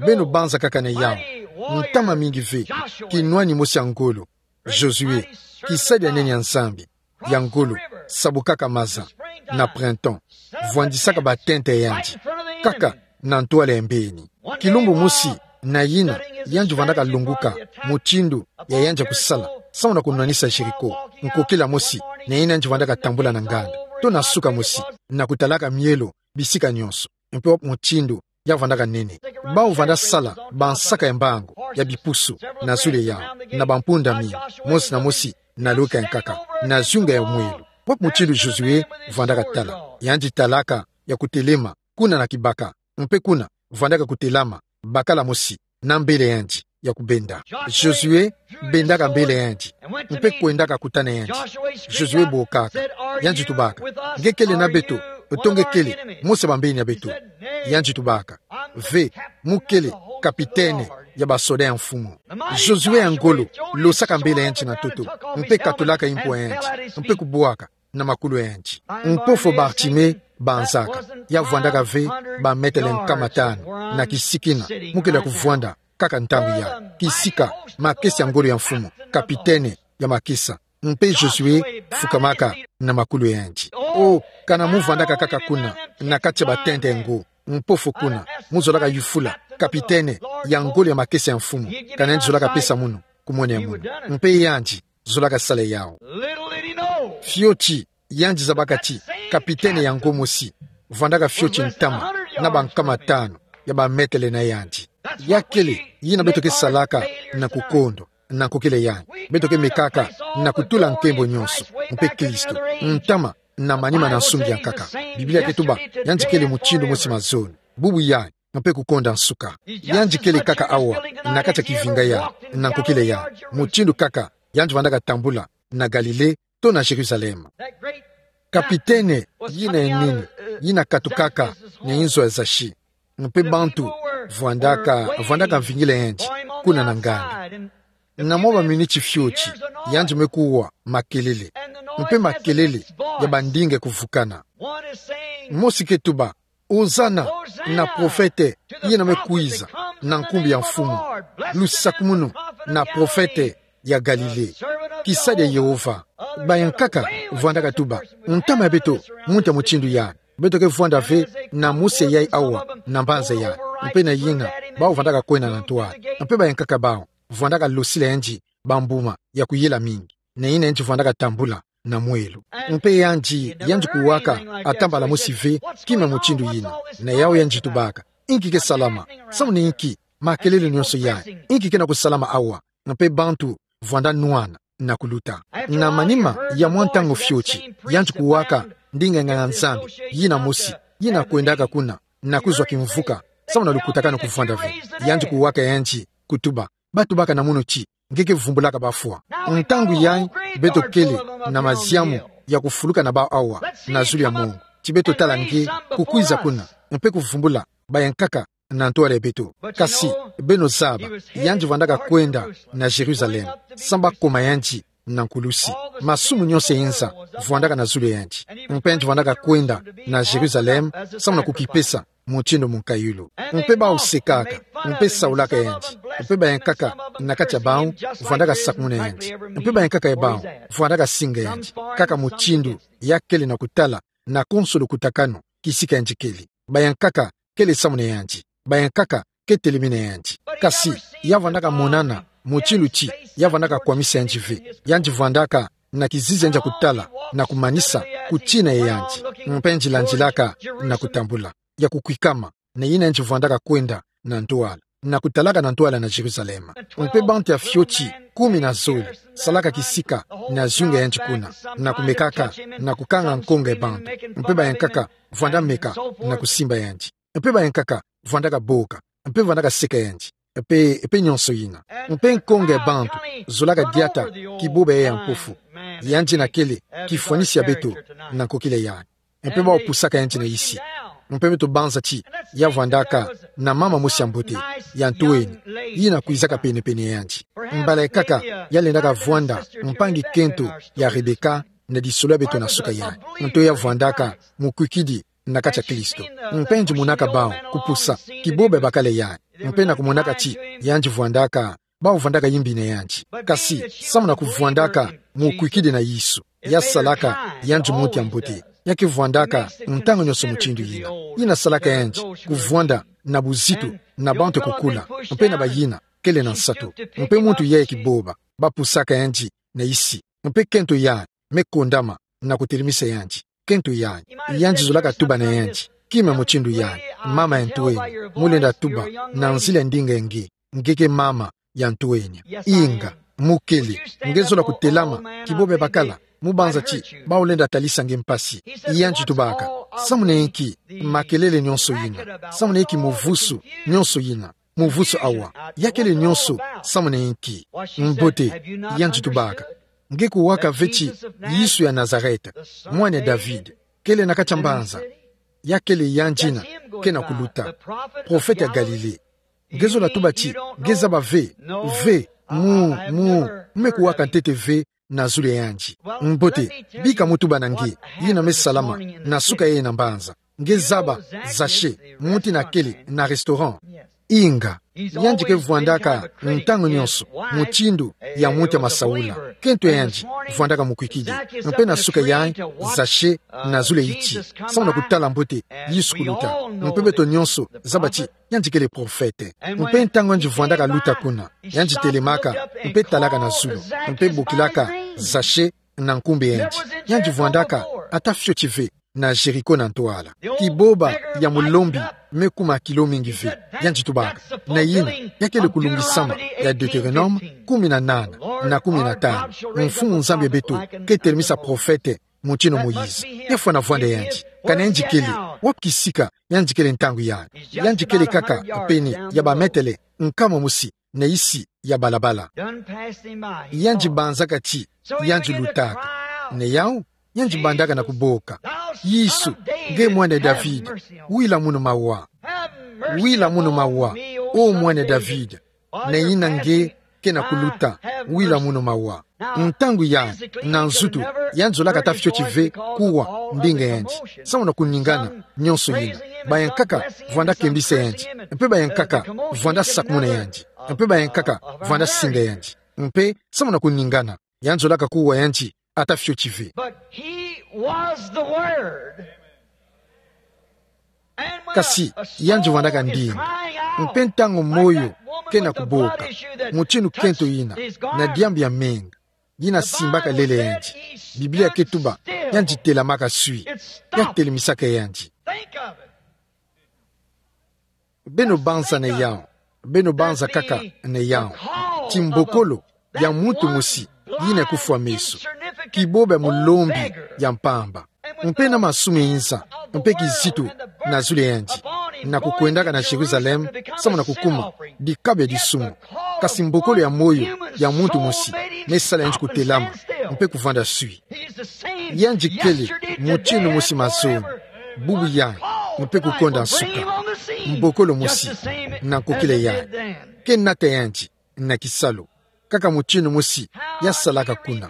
Beno banza kaka na yawu ntama mingi ve, kinwani mosi ya ngolo, Josué, kisadi ya nene ya Nzambi, ya ngolo, sabukaka maza na printemps, vwandisaka batenta ya yandi kaka na ntwala ya mbeni. Kilumbu mosi, na yina yandi vwandaka lunguka mutindu ya yandi ya kusala, samu na kunwanisa Jéricho, nkokila mosi na yina yandi vwandaka tambula na nganda, to na suka mosi, na kutalaka mielo bisika nionso, mpe mutindu ya vwandaka nene. Bawu vwanda sala bansaka ya mbangu, ya bipusu, na zulu ya yawu, na bampunda mingi, mosi na mosi na loka ya nkaka, na zunga ya mwelo. Wapi mutindu Josué vwandaka tala? Yandi talaka ya kutelema kuna na kibaka, mpe kuna vwandaka kutelama bakala mosi na mbele yandi ya kubenda. Josué bendaka mbele yandi, mpe kwendaka kutana yandi. Josué bokaka, yandi tubaka: Nge kele na beto, to nge kele mosi ya bambeni ya beto? Yandi tubaka: Ve, mu kele kapitene ya basoda ya Mfumu. Josué ya ngolo losaka mbele yandi na ntoto, mpe katulaka impwa yandi, mpe kubwaka na makulu yandi. Mpofo Bartimée banzaka, ya vwandaka ve bametele nkama tanu na kisika ina mu kele ya kuvwanda kaka ntangu ya kisika, makesa ya ngolo ya Mfumu, kapitene ya makesa. Mpe Josué fukamaka na makulu yandi. O, kana mu vwandaka kaka kuna, na kati ya batenta ya ngo, mpofo kuna, muzolaka yufula kapitene ya ngolo ya makesa ya Mfumu, kana yandi zolaka pesa munu, kumwena ya munu. Mpe yandi zolaka sala yawu. Fioti yandi zabaka ti kapitene ya ngo mosi vwandaka fioti ntama na bankama tanu ya bametele na yandi. Ya kele yina beto ke salaka na kukondo, na nkokila yandi. Beto ke mekaka na kutula nkembo nionso, mpe Kristo, ntama na manima na nsungi ya nkaka. Biblia ke tuba yandi kele mutindu mosi mazono, bubu yandi, mpe kukonda nsuka. Yandi kele kaka awa, na kati ya kivinga yandi, na nkokila yandi, mutindu kaka yandi vwandaka tambula na Galilée to na Jérusalem. Kapitene yina ya nini, yina katukaka na inzo ya zazi, mpe bantu vwandaka, vwandaka vingila yandi kuna na nganda. Na mwa baminiti fioti, yandi me kuwa makelele, mpe makelele ya bandinga kuvukana. Mosi ke tuba: Ozana na profete yina me kwiza na nkumbu ya Mfumu. Lusakumunu na profete ya Galilée, kisadi ya Yehova. Bayankaka vwandaka tuba: Ntama ya beto, muntu ya mutindu yandi. Beto ke vwanda ve na mosi ya yai awa na mbanza yandi. Mpe na yina, bawu vwandaka kwenda na ntwala. Mpe bayankaka bawu vwandaka losila yandi bambuma ya kuyela mingi, na yina yandi vwandaka tambula na mwelo. Mpe yandi, yandi kuwaka ata mbala mosi ve kima mutindu yina. Na yawu yandi tubaka: Inki ke salama? Samu na inki makelele nionso yai? Inki ke na kusalama awa? Mpe bantu vwanda nwana na kuluta. Na manima ya mwa ntangu fioti, yandi kuwaka ndinga nganga-Nzambi yina mosi, yina kwendaka kuna na kuzwa kimvuka, samu na lukutakanu kuvwanda ve. Yandi kuwaka yandi, kutuba: Batubaka na munu ti nge ke vumbulaka bafwa. Ntangu yai beto kele na maziamu ya kufuluka na bawu awa na zulu ya mongo, ti beto tala nge kukwiza kuna, mpe kuvumbula bayankaka na ntwala ya beto. Kasi, beno zaba, yandi vwandaka kwenda na Jérusalem, samu bakoma yandi na nkulusi. Masumu nyonso ya inza vwandaka na zulu ya yandi. Mpe yandi vwandaka kwenda na Jerusalem, samu na kukipesa mutindu mukayulu. Mpe bawu sekaka, mpe saulaka yandi. Mpe bayankaka na kati ya bawu vwandaka sakumuna yandi. Mpe bayankaka ya bawu vwandaka singa yandi. Kaka mutindu ya kele na kutala, na konso lukutakanu, kisika yandi kele. Bayankaka kele samu na yandi. Bayankaka ke telemene yandi. Kasi ya vwandaka monana mutindu ti ya vwandaka kwamisa yandi ve. Yandi vwandaka na kizizi ya yandi ya kutala, na kumanisa kutina ya yandi. Mpe yandi landilaka na kutambula, ya kukwikama, na yina yandi vwandaka kwenda na ntwala, na kutalaka na ntwala na Jerusalem. Mpe bantu ya fioti kumi na zole salaka kisika na zunga ya yandi kuna, na kumekaka, na kukanga nkonga ya bantu. Mpe bayankaka vwanda meka na kusimba yandi. Mpe bayankaka vwandaka boka, mpe vwandaka seka yandi, mpe, mpe nyonso yina. Mpe nkonga ya bantu zolaka diata kiboba ya mpofu. Yandi na kele kifwanisi ya beto na nkokila yayi. Mpe bawu pusaka yandi na isi. Mpe beto banza ti ya vwandaka na mama mosi ya mbote, ya ntoweni, yina kwizaka penepene ya yandi. Mbala ya nkaka ya lendaka vwanda mpangi kento ya Rebeka na lisolo ya beto na suka yayi. Nto ya vwandaka mukwikidi na kati ya Kristo. Mpe yandi monaka bawu kupusa kiboba ya bakala yayi. Mpe na kumonaka ti yandi vwandaka, bawu vwandaka yimbi na yandi. Kasi samu na kuvwandaka mukwikidi na Yesu, ya salaka yandi muntu ya mbote. Ya ke vwandaka ntangu nyonso mutindu yina. Yina salaka yandi kuvwanda na buzitu na bantu ya kukula, mpe na bayina kele na nsatu. Mpe muntu yayi kiboba, bapusaka yandi na isi. Mpe kento yayi me kondama na kutelemisa yandi. Kento yayi, yandi zolaka tuba na yandi kima mutindu yayi: Mama ya ntoweni, mu lenda tuba na nzila ya ndinga ya nge, nge ke mama ya ntoweni. Inga, mu kele. Nge zola kutelama kiboba ya bakala, mu banza ti bawu lenda talisa nge mpasi. Yandi tubaka: Samu na inki makelele nyonso yina? Samu na inki muvusu nyonso yina, muvusu awa? Ya kele nyonso samu na inki? Mbote, yandi tubaka: Nge kuwaka ve ti Yesu ya Nazareth, mwana ya David, kele na kati ya mbanza? Ya kele yandi yina ke na kuluta, profete ya Galile. Nge zola tuba ti nge zaba ve? Ve, mu, mu, me kuwaka ntete ve na zulu ya yandi. Mbote, bika mu tuba na nge yina me salama na suka yayi na mbanza. Nge zaba Zache, muntu yina kele na restaurant? Inga, yandi ke vwandaka ntangu nyonso mutindu ya muntu ya masaula. Kento ya yandi vwandaka mukwikidi. Mpe na suka yayi, Zache na zulu ya iti samu na kutala mbote Yesu kuluta. Mpe beto nyonso zaba ti yandi kele profete. Mpe ntangu yandi vwandaka luta kuna, yandi telemaka mpe talaka na zulu, mpe bokilaka Zache na nkumbu ya yandi. Yandi vwandaka ata fioti ve na Jéricho na ntwala. Kiboba ya mulombi me kuma kilo mingi ve. Yandi tubaka: Na yina ya kele kulungisama ya Deutéronome kumi na nana na kumi na tanu: Mfumu Nzambi ya beto ke telemisa profete mutindu Moïse. Ya fwana vwanda yandi. Kana yandi kele wapi kisika yandi kele ntangu yayi? Yandi kele kaka pene ya bametele nkama mosi na isi ya balabala. Yandi banzaka ti yandi lutaka. Na yawu, yandi bandaka na kuboka: Yesu, nge mwana ya David, wila munu mawa. Wila munu mawa, o mwana ya David. Na yina nge ke na kuluta, wila munu mawa. Ntangu yayi, na nzutu, yandi zolaka ata fioti ve kuwa ndinga yandi samu na kuningana nyonso yina. Bayankaka vwanda kembisa yandi, mpe bayankaka vwanda sakumuna yandi, mpe bayankaka vwanda singa yandi. Mpe samu na kuningana, yandi zolaka kuwa yandi ata fioti ve. But he was the Word. Kasi yandi vwandaka ndinga. Mpe ntangu moyo ke na kuboka, mutindu kento yina, na diambu ya menga yina simbaka lele yandi, Biblia ke tuba yandi telamaka swi. Ya telemisaka yandi. Beno banza na yawu. Beno banza kaka na yawu. Ti mbokolo ya muntu mosi yina kufwa meso. Kiboba ya mulombi ya mpamba. Mpe na masumu ya inza mpe kizitu na zulu ya yandi, na kukwendaka na Jérusalem samu na kukuma dikabu ya disumu. Kasi mbokolo ya moyo ya muntu mosi me sala yandi kutelama mpe kuvwanda swi. Yandi kele mutindu mosi mazono, bubu yayi, mpe kukonda nsuka. Mbokolo mosi na nkokila yayi. Ke nata yandi na kisalu. kaka mutindu mosi ya salaka kuna.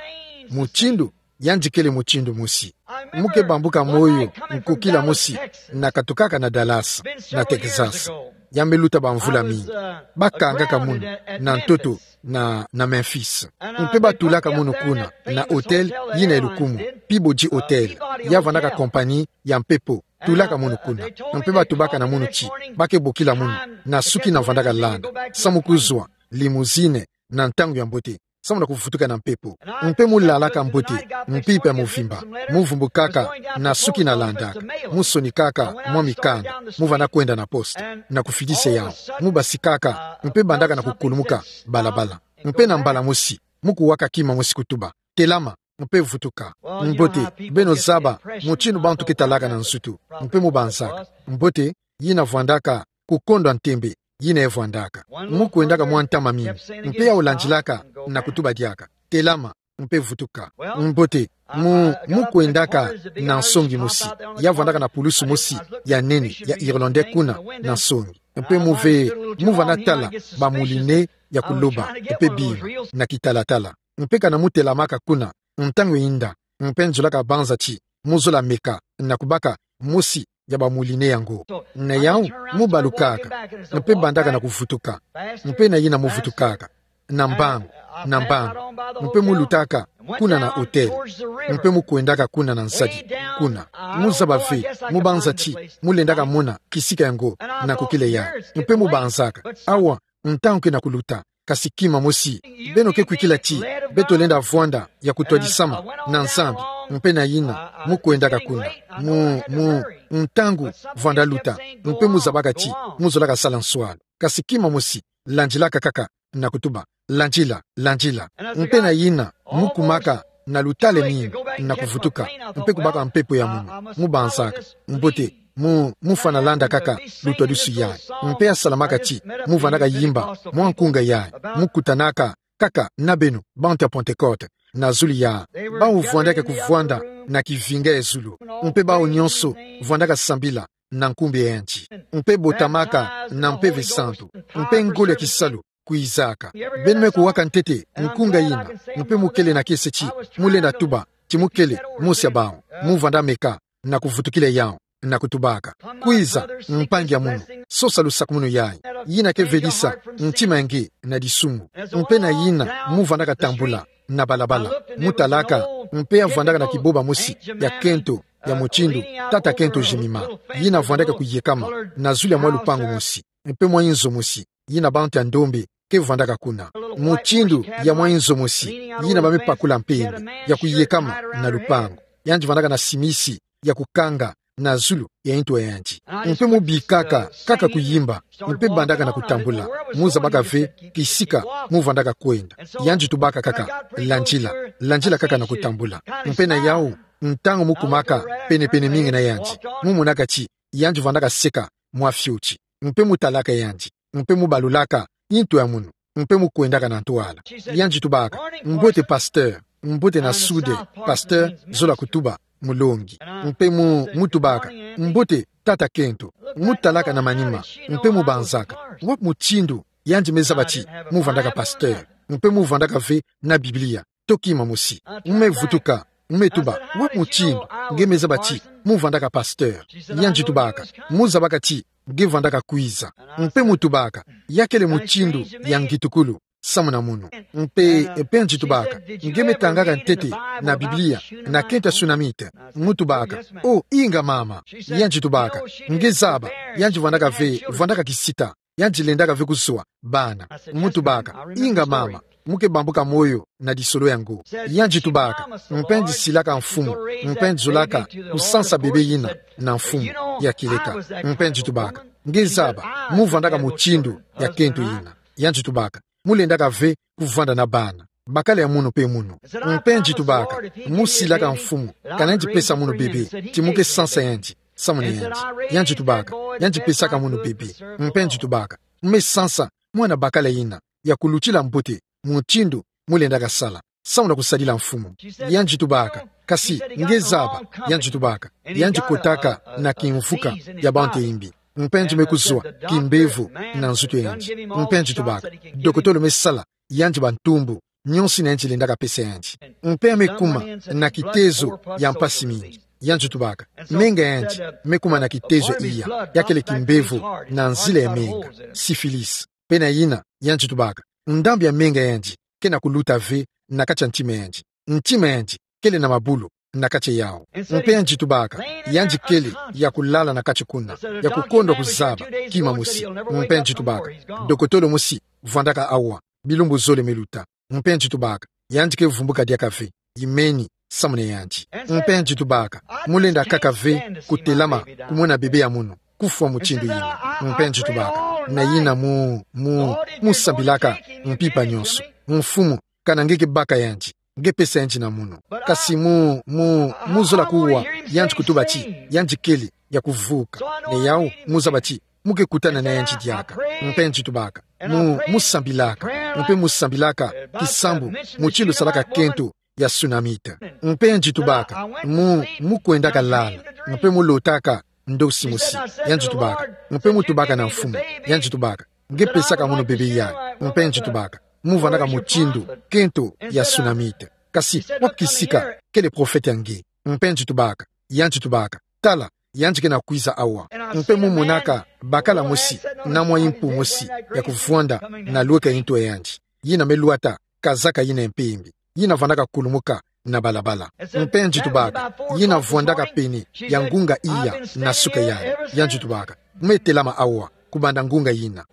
Mutindu, yandi kele mutindu mosi. Mu ke bambuka moyo, nkokila mosi, na katukaka na Dallas, na Texas. Ya me luta bamvula mingi. Ba kangaka munu na ntoto na, na Memphis. Mpe ba tulaka munu kuna na hôtel yina ya lukumu, Peabody Hotel. Ya vandaka compagnie ya mpepo tulaka munu kuna. Mpe ba tubaka na munu ti ba ke bokila munu na suki na vandaka landa, samu kuzwa limousine na ntangu ya mbote, samu na kuvutuka na mpepo. Mpe mu lalaka mbote, mpimpa ya mvimba, mu vumbukaka na suki na landaka, mu sonikaka mwa mikanda, mu vanda kwenda na poste na kufidisa yawu. Mu basikaka, mpe bandaka na kukulumuka balabala. Mpe na mbala mosi, mu kuwaka kima mosi kutuba: "Telama, mpe vutuka." Mbote, beno zaba mutindu bantu ke talaka na nzutu. Mpe mu banzaka: "Mbote, yina vwandaka kukondwa ntembe, yina e vwandaka." Mu kwendaka mwa ntama mingi, mpe yawu landilaka na kutuba diaka: "Telama, mpe vutuka." Mbote, mu, mu kwendaka na nsongi mosi, ya vwandaka na pulusu mosi ya nene ya Irlandais kuna na nsongi. Mpe mu ve, mu vanda tala bamoulinet ya kuloba, mpe bima na kitalatala. Mpe kana mu telamaka kuna, ntangu eyinda, mpe nzolaka banza ti mu zola meka na kubaka mosi ya bamoulinet yango. Na yawu, mu balukaka, mpe bandaka na kuvutuka. Mpe na yina mu vutukaka na mbangu, na mbangu, mpe mu lutaka kuna na hôtel, mpe mu kwendaka kuna na nzadi, kuna. Mu zaba ve, mu banza ti mu lendaka mona kisika yango na kukele yawu. Mpe mu banzaka: "Awa, ntangu ke na kuluta, kasi kima mosi. Beno ke kwikila ti beto lenda vwanda ya kutwadisama na Nzambi." Mpe na yina, mu kwendaka kuna. Mu, mu, ntangu vwanda luta, mpe mu zabaka ti mu zolaka sala nswalu. Kasi kima mosi, landilaka kaka na kutuba: "Landila, landila." Mpe na yina, mu kumaka na lutale mingi na kuvutuka, mpe kubaka mpepo ya munu. Mu banzaka: "Mbote, mu, mu fwana landa kaka lutwadusu yayi." Mpe ya salamaka ti mu vandaka yimba mwa nkunga yayi, mu kutanaka kaka na beno bantu ya Pentecôte na zulu ya bawu vwandaka kuvwanda na kivinga ya zulu, mpe bawu nyonso vwandaka sambila na nkumbu ya yandi, mpe botamaka na Mpeve Santu, mpe ngolo ya kisalu kwizaka. Beno me kuwaka ntete nkunga yina, mpe mu kele na kiese ti mu lenda tuba ti mu kele mosi ya bawu. Mu vanda meka na kuvutukila yawu na kutubaka: "Kwiza, mpangi ya munu, sosa lusakumunu yayi, yina ke vedisa ntima ya nge na disumu." Mpe na yina, mu vandaka tambula na balabala, mu talaka, mpe ya vwandaka na kiboba mosi ya kento, ya mutindu tata kento Jemima, yina vwandaka kuyekama na zulu ya mwa lupangu mosi, mpe mwa inzo mosi yina bantu ya ndombe ke vwandaka kuna. Mutindu ya mwa inzo mosi yina ba me pakula mpembe, ya kuyekama na lupangu. Yandi vandaka na simisi ya kukanga na zulu ya ntu ya yandi. Mpe mu bikaka kaka kuyimba, mpe bandaka na kutambula. Mu zabaka ve kisika mu vandaka kwenda. Yandi tubaka kaka: "Landila, landila kaka na kutambula." Mpe na yawu, ntangu mu kumaka penepene mingi na yandi, mu monaka ti yandi vandaka seka mwa fioti. Mpe mu talaka yandi, mpe mu balulaka ntu ya munu, mpe mu kwendaka na ntwala. Yandi tubaka: "Mbote pasteur." "Mbote na sude." Pasteur zola kutuba mulongi. Mpe mu, mu tubaka: "Mbote tata kento." Mu talaka na manima, mpe mu banzaka: "Wapi mutindu yandi me zaba ti mu vandaka pasteur?" Mpe mu vandaka ve na Biblia to kima mosi. Mu me vutuka, mu me tuba: "Wapi mutindu nge me zaba ti mu vandaka pasteur?" Yandi tubaka: "Mu zabaka ti nge vandaka kwiza." Mpe mu tubaka: "Ya kele mutindu ya ngitukulu samu na munu." Mpe, mpe yandi tubaka: "Nge me tangaka ntete na Biblia na kento ya Sunamite?" Mu tubaka: "Oh, inga mama." Yandi tubaka: "Nge zaba, yandi vandaka ve, vandaka kisita. Yandi lendaka ve kuzwa bana." Mu tubaka: "Inga mama, mu ke bambuka moyo na disolo yango." Yandi tubaka: "Mpe yandi silaka mfumu, mpe yandi zolaka kusansa bebe yina na mfumu ya kieleka." Mpe yandi tubaka: "Nge zaba, mu vandaka mutindu ya kento yina." Yandi tubaka: "Mu lendaka ve kuvanda na bana, bakala ya munu mpe munu." Mpe yandi tubaka: "Mu silaka mfumu, kana yandi pesa munu bebe, ti mu ke sansa yandi samu na yandi." Yandi tubaka: "Yandi pesaka munu bebe." Mpe yandi tubaka: "Mu me sansa mwana bakala yina ya kulutila mbote mutindu mu lendaka sala samu na kusadila mfumu." Yandi tubaka: "Kasi nge zaba," yandi tubaka, "yandi kotaka na kimvuka ya bantu ya imbi. Mpe yandi me kuzwa kimbevo na nzutu ya yandi." Mpe yandi tubaka: "Dokotolo me sala yandi bantumbu, nionso ina yandi lendaka pesa yandi. Mpe me kuma na kitezo ya mpasi mingi. Yandi tubaka, menga yandi me kuma na kitezo iya, ya kele kimbevo na nzila ya menga, syphilis. Mpe na yina, yandi tubaka, ndambu ya menga yandi kena kuluta ve na kati ya ntima yandi. Ntima yandi kele na mabulu na kati yawu. Mpe yandi tubaka, yandi kele ya kulala na kati kuna, ya kukondwa kuzaba kima mosi. Mpe yandi tubaka, dokotolo mosi vwandaka awa bilumbu zole me luta. Mpe yandi tubaka, yandi ke vumbuka diaka ve, imeni samu na yandi. Mpe yandi tubaka, mu lenda kaka ve kutelama kumona bebe ya mono kufwa mutindu yina. Mpe yandi tubaka, na yina mu, mu, mu sambilaka mpimpa nionso, Mfumu, kana nge ke baka yandi, nge pesa yandi na mono. Kasi mu, mu, mu zola kuwa yandi kutuba ti yandi kele ya kuvuka. Na yawu, mu zaba ti mu ke kutana na yandi diaka. Mpe yandi tubaka, mu, mu sambilaka, mpe mu sambilaka kisambu mutindu salaka kento ya tsunamite. Mpe yandi tubaka, mu, mu kwendaka lala, mpe mu lotaka ndosi mosi. Yandi tubaka, mpe mu tubaka na Mfumu. Yandi tubaka, nge pesaka mono bebe yayi. Mpe yandi tubaka, mu vwandaka mutindu kento ya tsunamite. Kasi wapi kisika kele profete ya nge? Mpe yandi tubaka, yandi tubaka, tala, yandi kena kwiza awa. Mpe mu monaka bakala mosi na mwa impu mosi ya kuvwanda na lweka ya ntu ya yandi, yina me lwata kazaka yina ya mpembe, yina vwandaka kulumuka na balabala. Mpe yandi tubaka, yina vwandaka pene ya ngunga iya na suka yayi. Yandi tubaka, me telama awa kubanda ngunga yina.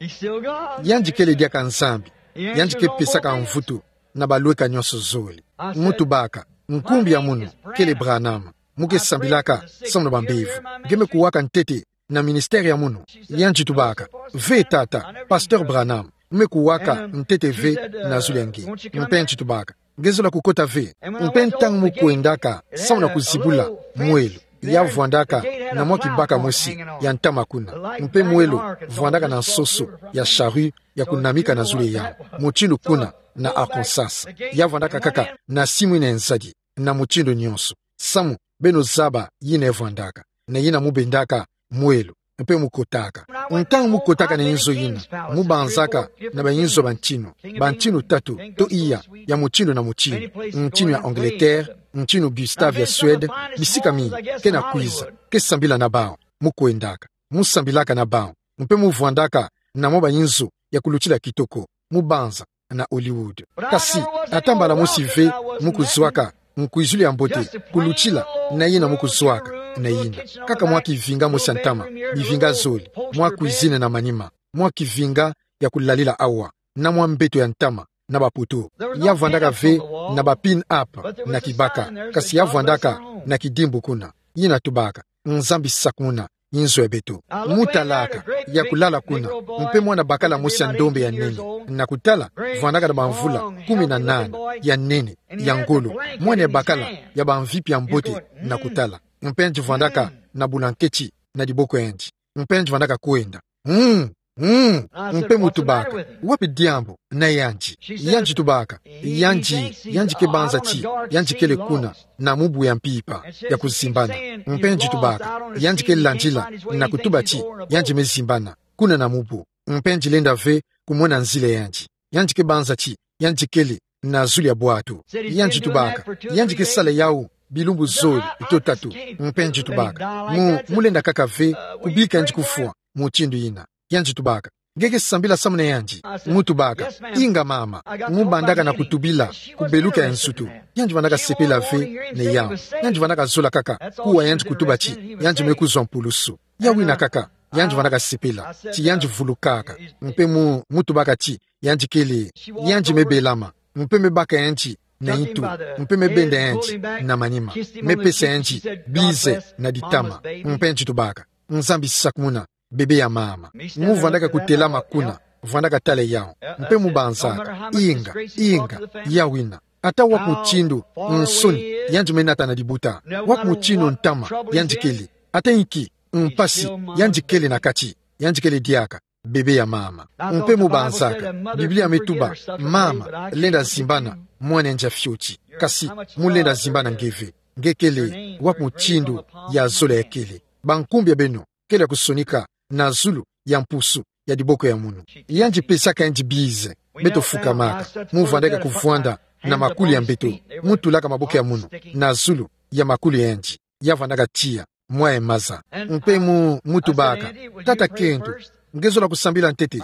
Yandi kele diaka Nzambi, yandi ke pesaka mvutu na balweka nionso zole. Mu tubaka, nkumbu ya mono kele Branham. Mu ke sambilaka samu na bambevo. Nge me kuwaka ntete na ministère ya mono? Yandi tubaka, ve tata, Pasteur Branham, mu me kuwaka ntete ve na zulu ya nge. Mpe yandi tubaka, nge zola kukota ve? Mpe ntangu mu kwendaka samu na kuzibula mwelo, ya vwandaka na mwa kibaka mosi ya ntama kuna. Mpe mwelo vwandaka na nsoso ya charrue ya kunamika na zulu ya yawu, mutindu kuna na Arkansas. Ya vwandaka kaka na simu ina ya nzadi, na mutindu nionso. Samu beno zaba yina vwandaka. Na yina mu bendaka mwelo, mpe mu kotaka. Ntangu mu kotaka na inzo yina, mu banzaka na bainzo bantinu, bantinu tatu to iya, ya mutindu na mutindu. Ntinu ya Angleterre, ntinu Gustav ya Suède, bisika mingi. Kena kwiza, ke sambila na bawu. Mu kwendaka, mu sambilaka na bawu, mpe mu vwandaka na mwa bainzo ya kulutila kitoko, mu banza na Hollywood. Kasi ata mbala mosi ve mu kuzwaka nkwizulu ya mbote kulutila na yina mu kuzwaka, na yina kaka mwa kivinga mosi ya ntama, bivinga zole, mwa cuisine na manima, mwa kivinga ya kulalila awa, na mwa mbeto ya ntama na bapoto. Ya vwandaka ve na ba pin-up na kibaka, kasi ya vwandaka na kidimbu kuna. Yina tubaka, Nzambi sakumuna inzo ya beto. Mu talaka, ya kulala kuna, mpe mwana bakala mosi ya ndombe ya nene, na kutala, vwandaka na bamvula kumi na nana, ya nene, ya ngolo, mwana ya bakala ya bamvipi ya mbote, na kutala. Mpe yandi vwandaka na bulanketi na diboko ya yandi. Mpe yandi vwandaka kwenda. Mm, mm. Mpe mu tubaka, wapi diambu na yandi? Yandi tubaka, yandi, yandi ke banza ti yandi kele kuna na mubu ya mpimpa ya kuzimbana. Mpe yandi tubaka, yandi ke landila na kutuba ti yandi me zimbana kuna na mubu. Mpe yandi lenda ve kumona nzila ya yandi. Yandi ke banza ti yandi kele na zulu ya bwatu. Yandi tubaka, yandi ke sala yawu bilumbu zole to tatu. Mpe yandi tubaka, mu, mu lenda kaka ve kubika yandi kufwa mutindu yina. Yandi tubaka, nge ke sambila samu na yandi? Mu tubaka, inga mama. Mu bandaka na kutubila kubeluka ya nsutu. Yandi vwandaka sepela ve na yawu. Yandi vwandaka zola kaka kuwa yandi kutuba ti yandi me kuzwa mpulusu. Yawu yina kaka yandi vwandaka sepela ti yandi vulukaka. Mpe mu, mu tubaka ti yandi kele, yandi me belama, mpe me baka yandi na intu, mpe me benda yandi na manima, me pesa yandi bize na ditama. Mpe yandi tubaka, Nzambi sakumuna bebe ya mama. Mu vwandaka kutelama kuna, vwandaka tala yawu, mpe mu banzaka, inga, inga, yawu yina. Ata wapi mutindu nsoni yandi me nata na dibuta, wapi mutindu ntama yandi kele, ata inki mpasi yandi kele na kati, yandi kele diaka bebe ya mama. Mpe mu banzaka, Biblia me tuba, mama lenda zimbana mwana yandi ya fioti. Kasi mu lenda zimbana nge ve. Nge kele wapi mutindu ya zola ya kele. Bankumbu ya beno kele ya kusonika na zulu ya mpusu ya diboko ya munu. Yandi pesaka yandi bize Beto fukamaka, mu vandaka kuvwanda na makulu ya mbeto, mu tulaka maboko ya munu na zulu ya makulu yandi, ya vandaka tiya mwa ye maza. Mpe mu, mu tubaka: Tata kento, nge zola kusambila ntete?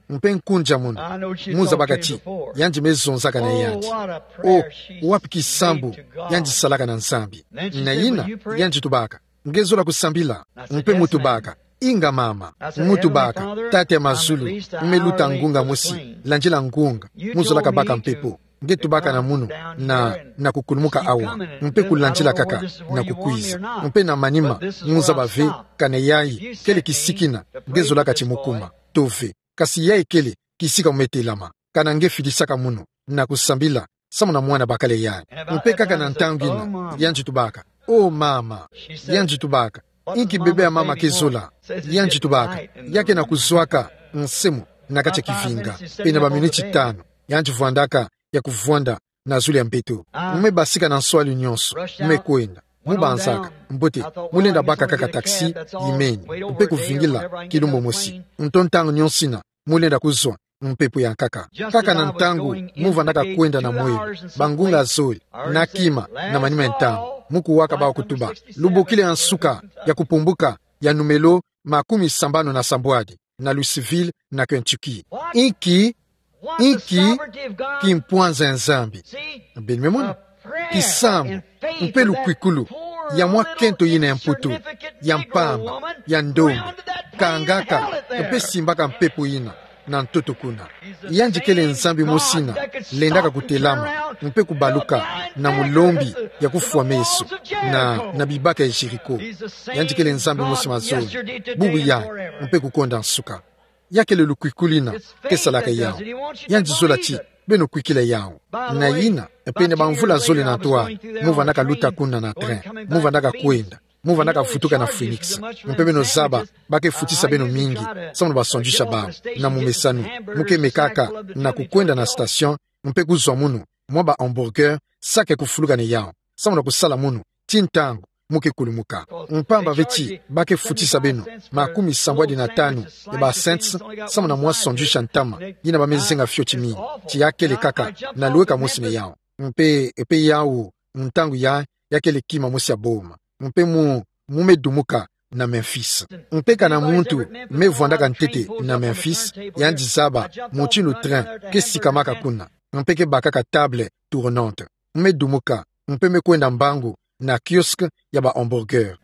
Mpe nkunja munu, mu zabaka ti yandi me zonzaka na yandi. O, wapi kisambu yandi salaka na Nzambi! Na yina, yandi tubaka: Nge zola kusambila? Mpe mu tubaka: Inga mama. Mu tubaka: Tata ya mazulu, me luta ngunga mosi, landila ngunga, mu zolaka baka mpepo. Nge tubaka na munu na, na kukulumuka awa, mpe kulandila kaka na kukwiza. Mpe na manima, mu zaba ve kana yayi kele kisika ina nge zolaka ti mu kuma to ve. Kasi yayi kele kisika mu me telama, kana nge fidisaka munu na kusambila, samu na mwana bakala yayi. Mpe kaka na ntangu ina, yandi tubaka: O mama. Yandi tubaka: Inki bebe ya mama ke zola? Yandi tubaka: Ya ke na kuzwaka nsemo na kati ya kivinga, pene baminiti tanu. Yandi vwandaka ya kuvwanda na zulu ya mbeto. Mu me basika na nswali nyonso, mu me kwenda. Mu banzaka: Mbote, mu lenda baka kaka taxi, imeni, mpe kuvingila kilumbu mosi. Nto ntangu nyonso ina, mu lenda kuzwa mpepo ya nkaka. Kaka na ntangu mu vandaka kwenda na mwelo, bangunga zole, na kima, na manima ya ntangu, mu kuwaka bawu kutuba: Lubokila ya nsuka ya kupumbuka ya numelo makumi sambanu na sambwadi na Louisville, na Kentucky. Inki, inki kimpwanza ya Nzambi! Beno me mona? Kisambu mpe lukwikulu ya mwa kento yina ya mputu, ya mpamba, ya ndombi, kangaka, mpe simbaka mpepo yina na ntoto kuna. Yandi kele Nzambi mosi ina lendaka kutelama mpe kubaluka na mulombi ya kufwa meso na, na bibaka ya Jéricho. Yandi kele Nzambi mosi mazono, bubu yayi, mpe kukonda nsuka. Ya kele lukwikulu ina ke salaka yawu. Yandi zola ti beno kwikila yawu. Na yina, pene bamvula zole na ntwala, mu vandaka luta kuna na train, mu vandaka kwenda, mu vandaka vutuka na Phoenix. Mpe beno zaba, ba ke futisa beno mingi, samu na basandwich ya bawu, na mumesanu. Mu ke mekaka na kukwenda na station, mpe kuzwa munu mwa ba hamburger, saki ya kufuluka na yawu, samu na kusala munu ti ntangu mu ke kulumuka. Mpamba ve ti ba ke futisa beno makumi sambwadi na tanu ya ba cents, samu na mwa sandwich ya ntama yina ba me zenga fioti mingi. Ti ya kele kaka na lweka mosi na yawu. Mpe, mpe yawu, ntangu yayi, ya kele kima mosi ya boma. Mpe mu, mu me dumuka na Memphis. Mpe kana muntu me vwandaka ntete na Memphis, yandi zaba mutindu train ke sikamaka kuna, mpe ke bakaka table tournante. Mu me dumuka, mpe me kwenda mbangu na kiosque ya ba hamburger.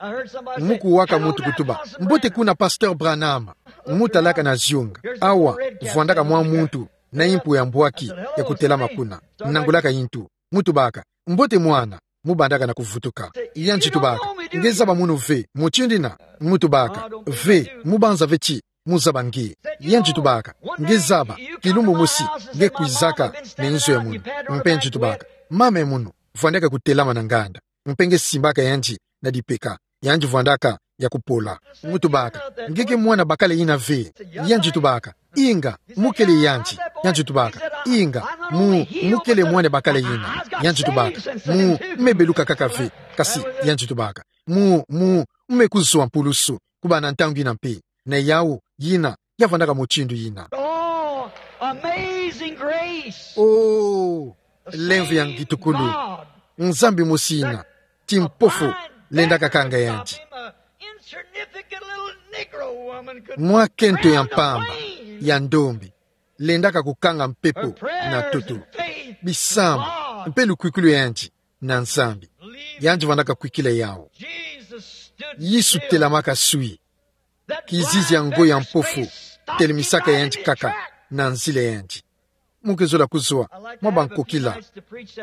Mu kuwaka muntu kutuba: Mbote kuna, Pasteur Branham. Mu talaka na zionga. Awa, vwandaka mwa muntu na impu ya mbwaki ya kutelama kuna, nangulaka intu. Mu tubaka: Mbote mwana. Mu bandaka na kuvutuka. Yandi tubaka: Nge zaba munu ve mutindu ina? Mu tubaka: Ve, mu banza ve ti mu zaba nge. Yandi tubaka: Nge zaba, kilumbu mosi nge kwizaka na nzo ya munu. Mpe yandi tubaka: Mama ya munu vwandaka kutelama na nganda, mpe nge simbaka yandi na dipeka. Yandi vwandaka ya kupola. Mu tubaka: Nge ke mwana bakala yina ve? Yandi tubaka: Inga, mu kele yandi. Yandi tubaka: Inga, mu, mu kele mwana bakala yina. Yandi tubaka: Mu, mu me beluka kaka ve. Kasi, yandi tubaka, mu, mu, mu me kuzwa mpulusu kubanda ntangu yina mpe. Na yawu, yina ya vwandaka mutindu yina. Oh, amazing grace. Oh, lemvo ya ngitukulu. Nzambi mosi ina, ti mpofu, lendaka kanga yandi. Mwa kento ya mpamba, ya ndombi, lendaka kukanga mpepo na ntoto. Bisambu, mpe lukwikulu ya yandi na Nzambi. Yandi vwandaka kwikila yawu. Yesu telamaka swi. Kizizi ya ngo ya mpofu telemisaka yandi kaka na nzila ya yandi. Mu ke zola kuzwa mwa bankokila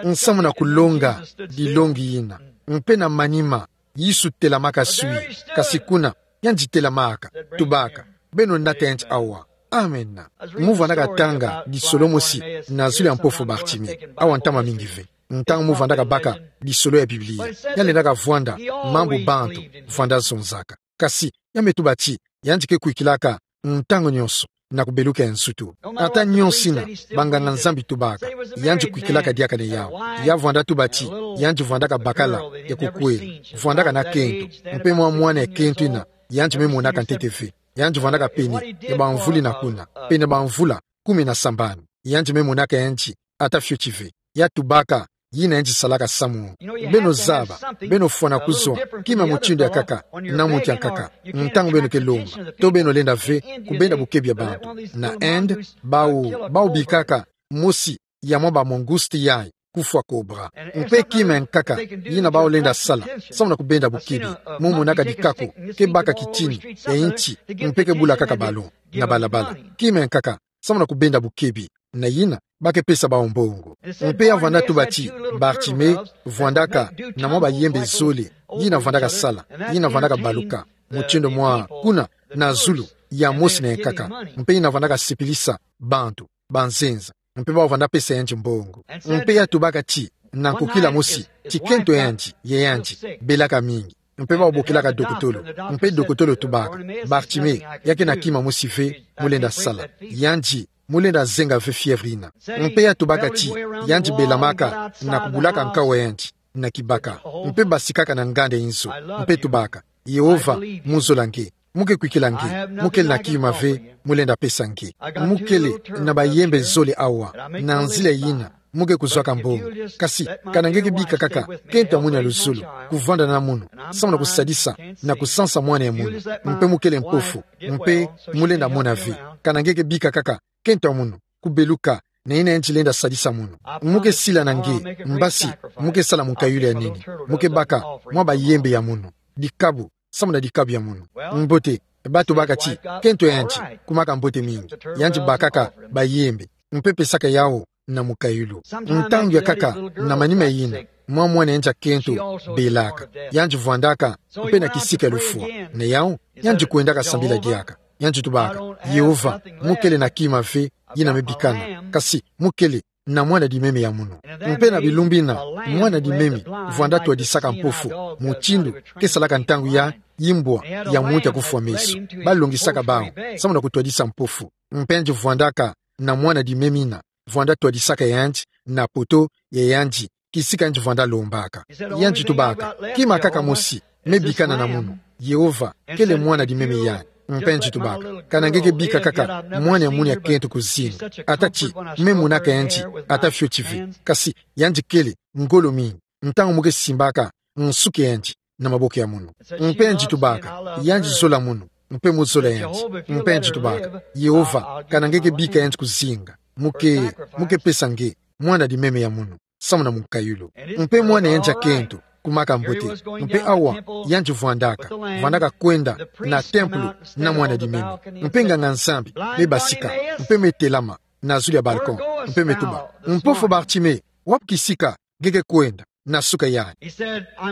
nsamu na kulonga dilongi yina. Mpe na manima, Yesu telamaka swi, kasi kuna yandi telamaka, tubaka: Beno nata yandi awa. Amen. Mu vwandaka tanga lisolo mosi na zulu ya mpofu Bartimi, awa ntama mingi ve. Ntangu mu vwandaka baka lisolo ya Biblia, ya lendaka vwanda mambu bantu vwanda zonzaka. Kasi ya me tuba ti yandi ke kwikilaka ntangu nyonso na kubeluka ya nsutu. Ata nyonso yina banganga-Nzambi tubaka, yandi kwikilaka diaka na yawu. Ya vwanda tuba ti yandi vwandaka bakala ya kukwela, vwandaka na kento, mpe mwa mwana ya kento yina yandi me monaka ntete ve. Yandi vwandaka pene ya bamvula yina kuna, pene bamvula kumi na sambanu. yandi me monaka yandi, ata fioti ve. Ya tubaka, yina yandi salaka samu. Beno zaba, beno fwana kuzwa kima mutindu ya nkaka na muntu ya nkaka. Ntangu beno ke lomba, to beno lenda ve kubenda bukebi ya bantu. Na Inde, bawu, bawu bikaka mosi ya mwa ba mangouste yayi kufwa cobra. Mpe kima ya nkaka yina bawu lenda sala samu na kubenda bukebi. Mu monaka dikaku ke baka kitini ya nti, mpe ke bulakaka ballon na balabala. Kima ya nkaka samu na kubenda bukebi, na yina ba ke pesa bawu mbongo. Mpe ya vwanda tuba ti Bartimée vwandaka na mwa bayembe zole, yina vwandaka sala, yina vwandaka baluka mutindu mwa kuna na zulu ya mosi na ya nkaka, mpe yina vwandaka sipilisa bantu, banzenza, mpe bawu vwanda pesa yandi mbongo. Mpe ya tubaka ti na nkokila mosi, ti kento yandi, ya yandi, belaka mingi. Mpe bawu bokelaka dokotolo. Mpe dokotolo tubaka: Bartimée, ya ke na kima mosi ve mu lenda sala. Yandi, mu lenda zenga ve fièvre yina. Mpe ya tubaka ti yandi belamaka na kubulaka nkau wa yandi na kibaka, mpe basikaka na nganda ya inzo, mpe tubaka: Yehova, mu zola nge. Mu ke kwikila nge. Mu kele na kima ve mu lenda pesa nge. Mu kele na bayembe zole awa, na nzila yina mu ke kuzwaka mbongo. Kasi kana nge ke bika kaka kento ya munu ya luzolo kuvwanda na munu, samu na kusadisa na kusansa mwana ya munu, mpe mu kele mpofu, mpe mu lenda mona ve. Kana nge ke bika kaka kento ya munu kubeluka, na yina yandi lenda sadisa munu. Mu ke sila na nge, mbasi mu ke sala munkayulu ya nene. Mu ke baka mwa bayembe ya munu, dikabu samu na dikabu ya munu. Mbote. Ba tubaka ti kento yandi kumaka mbote mingi. Yandi bakaka bayembe, mpe pesaka yawu na munkayulu. Ntangu ya nkaka, na manima yina, mwa mwana yandi ya kento belaka. Yandi vwandaka mpe na kisika ya lufwa. Na yawu, yandi kwendaka sambila diaka. Yandi tubaka: Yehova, mu kele na kima ve yina me bikana, kasi mu kele na mwana dimeme ya munu. Mpe na bilumbu bina, mwana dimeme vwanda twadisaka mpofu, mutindu ke salaka ntangu ya imbwa ya muntu ya kufwa meso. Ba longisaka bawu samu na kutwadisa mpofu. Mpe yandi vwandaka na mwana dimeme yina, vwanda twadisaka yandi na poto ya yandi, kisika yandi vwanda lombaka. Yandi tubaka: Kima kaka mosi me bikana na munu, Yehova, kele mwana dimeme yayi. Mpe yandi tubaka: Kana nge ke bika kaka mwana ya munu ya kento kuzinga. Ata ti me monaka yandi ata fioti ve, kasi yandi kele ngolo mingi ntangu mu ke simbaka nsuki ya yandi na maboko ya munu. Mpe yandi tubaka: Yandi zola munu, mpe mu zola yandi. Mpe yandi tubaka: Yehova, kana nge ke bika yandi kuzinga, mu ke, mu ke pesa nge mwana dimeme ya munu samu na munkayulu. Mpe mwana yandi ya kento kumaka mbote. Mpe awa yandi vwandaka, vwandaka kwenda na tempelo na mwana dimeme. Mpe nganga-Nzambi me basika, mpe me telama na zulu ya balcon, mpe me tuba: Mpofu Bartimée, wapi kisika nge ke kwenda na suka yayi?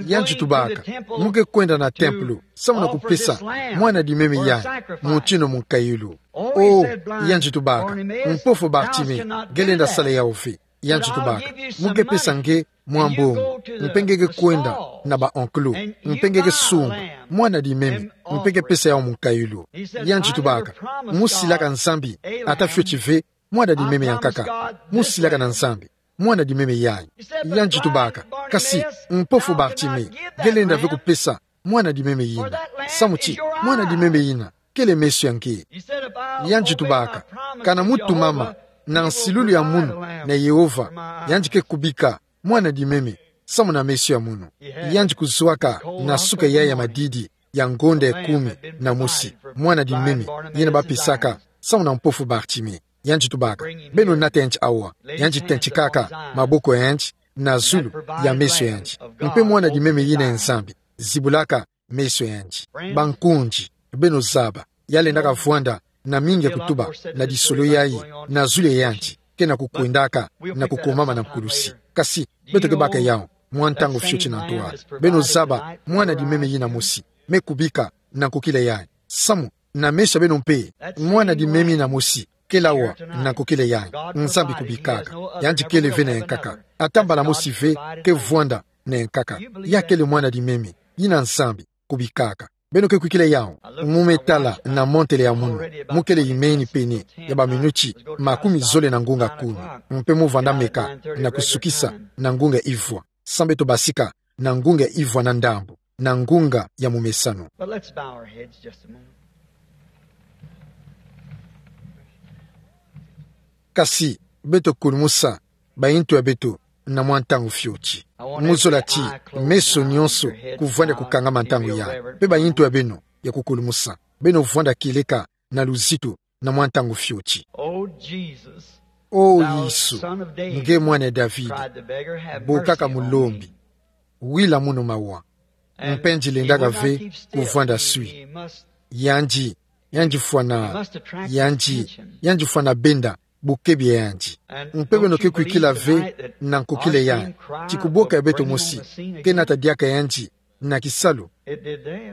Yandi tubaka: Mu ke kwenda na tempelo samu na kupesa mwana dimeme yayi mutindu munkayulu. O, yandi tubaka: Mpofu Bartimée, nge lenda sala yawu ve. Yandi tubaka: Mu ke pesa nge mwa mbongo, mpe nge ke kwenda na ba enclos, mpe nge ke sumba mwana dimeme, mpe ke pesa yawu munkayulu. Yandi tubaka: Mu silaka Nzambi ata fioti ve mwana dimeme ya nkaka. Mu silaka na Nzambi mwana dimeme yayi. Yandi tubaka: Kasi, mpofu Bartimée, nge lenda ve kupesa mwana dimeme yina. Samu ti mwana dimeme yina kele meso ya nge. Yandi tubaka: Kana mu tumama na nsilulu ya munu na Yehova, yandi ke kubika mwana dimeme samu na meso ya munu. Yandi kuzwaka na suka yayi ya madidi ya ngonda ya kumi na mosi mwana dimeme yina ba pesaka samu na mpofu Bartimée. Yandi tubaka: Beno nata yandi awa. Yandi tentikaka maboko ya yandi na zulu ya meso ya yandi. Mpe mwana dimeme yina ya Nzambi zibulaka meso ya yandi. Bankundi, beno zaba, ya lendaka vwanda na mingi ya kutuba na disolo yayi na zulu ya yandi, ke na kukwendaka na kukomama na nkulusi. Kasi beto ke baka yawu mwa ntangu fioti na ntwala. Beno zaba mwana dimeme yina mosi me kubika na nkokila yayi. Samu na meso ya beno mpe, mwana dimeme yina mosi kele awa na nkokila yayi. Nzambi kubikaka. Yandi kele ve na ya nkaka. Ata mbala mosi ve ke vwanda na ya nkaka. Ya kele mwana dimeme yina Nzambi kubikaka. Beno ke kwikila yawu? Mu me tala na montele ya munu, mu kele imeni pene ya ba minuti makumi zole na ngunga kumi. Mpe mu vwanda meka na kusukisa na ngunga ivwa. Samu beto basika na ngunga ivwa na ndambu, na ngunga ya mumesano. But let's bow our heads just a moment. Kasi, beto kulumusa bayintu ya beto na mwa ntangu fioti. Mu zola ti meso nyonso kuvwanda kukangama ntangu yayi. Mpe bayintu ya beno ya kukulumusa, beno vwanda kieleka na luzitu na mwa ntangu fioti. O Yesu, nge mwana ya David, bokaka mulombi, wila munu mawa. Mpe ngilendi kaka ve kuvwanda swi. Yandi, yandi fwana, yandi, yandi fwana benda bukebi ya yandi. Mpe beno ke kwikila ve na nkokila yayi ti kuboka ya beto mosi ke nata diaka yandi na kisalu?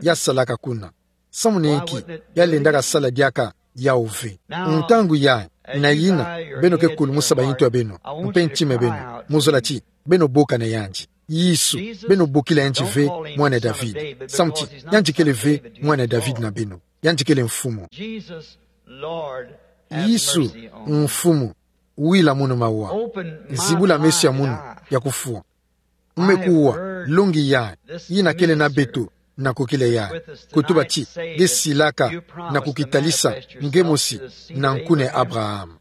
Ya salaka kuna. Samu nki ya lendaka sala diaka yawu ve? Ntangu yayi, na yina, beno ke kulumusa bayintu ya beno mpe ntima ya beno, mu zola ti beno boka na yandi. Yesu, beno bokila yandi ve mwana ya David, samu ti yandi kele ve mwana ya David na beno. Yandi kele Mfumu. Yesu, Mfumu, wila munu mawa. Zibula meso ya munu ya kufwa. Mme kuwa longi yayi yina kele na beto na nkokila yayi, kutuba ti nge silaka na kukitalisa nge mosi na nkuna ya Abraham.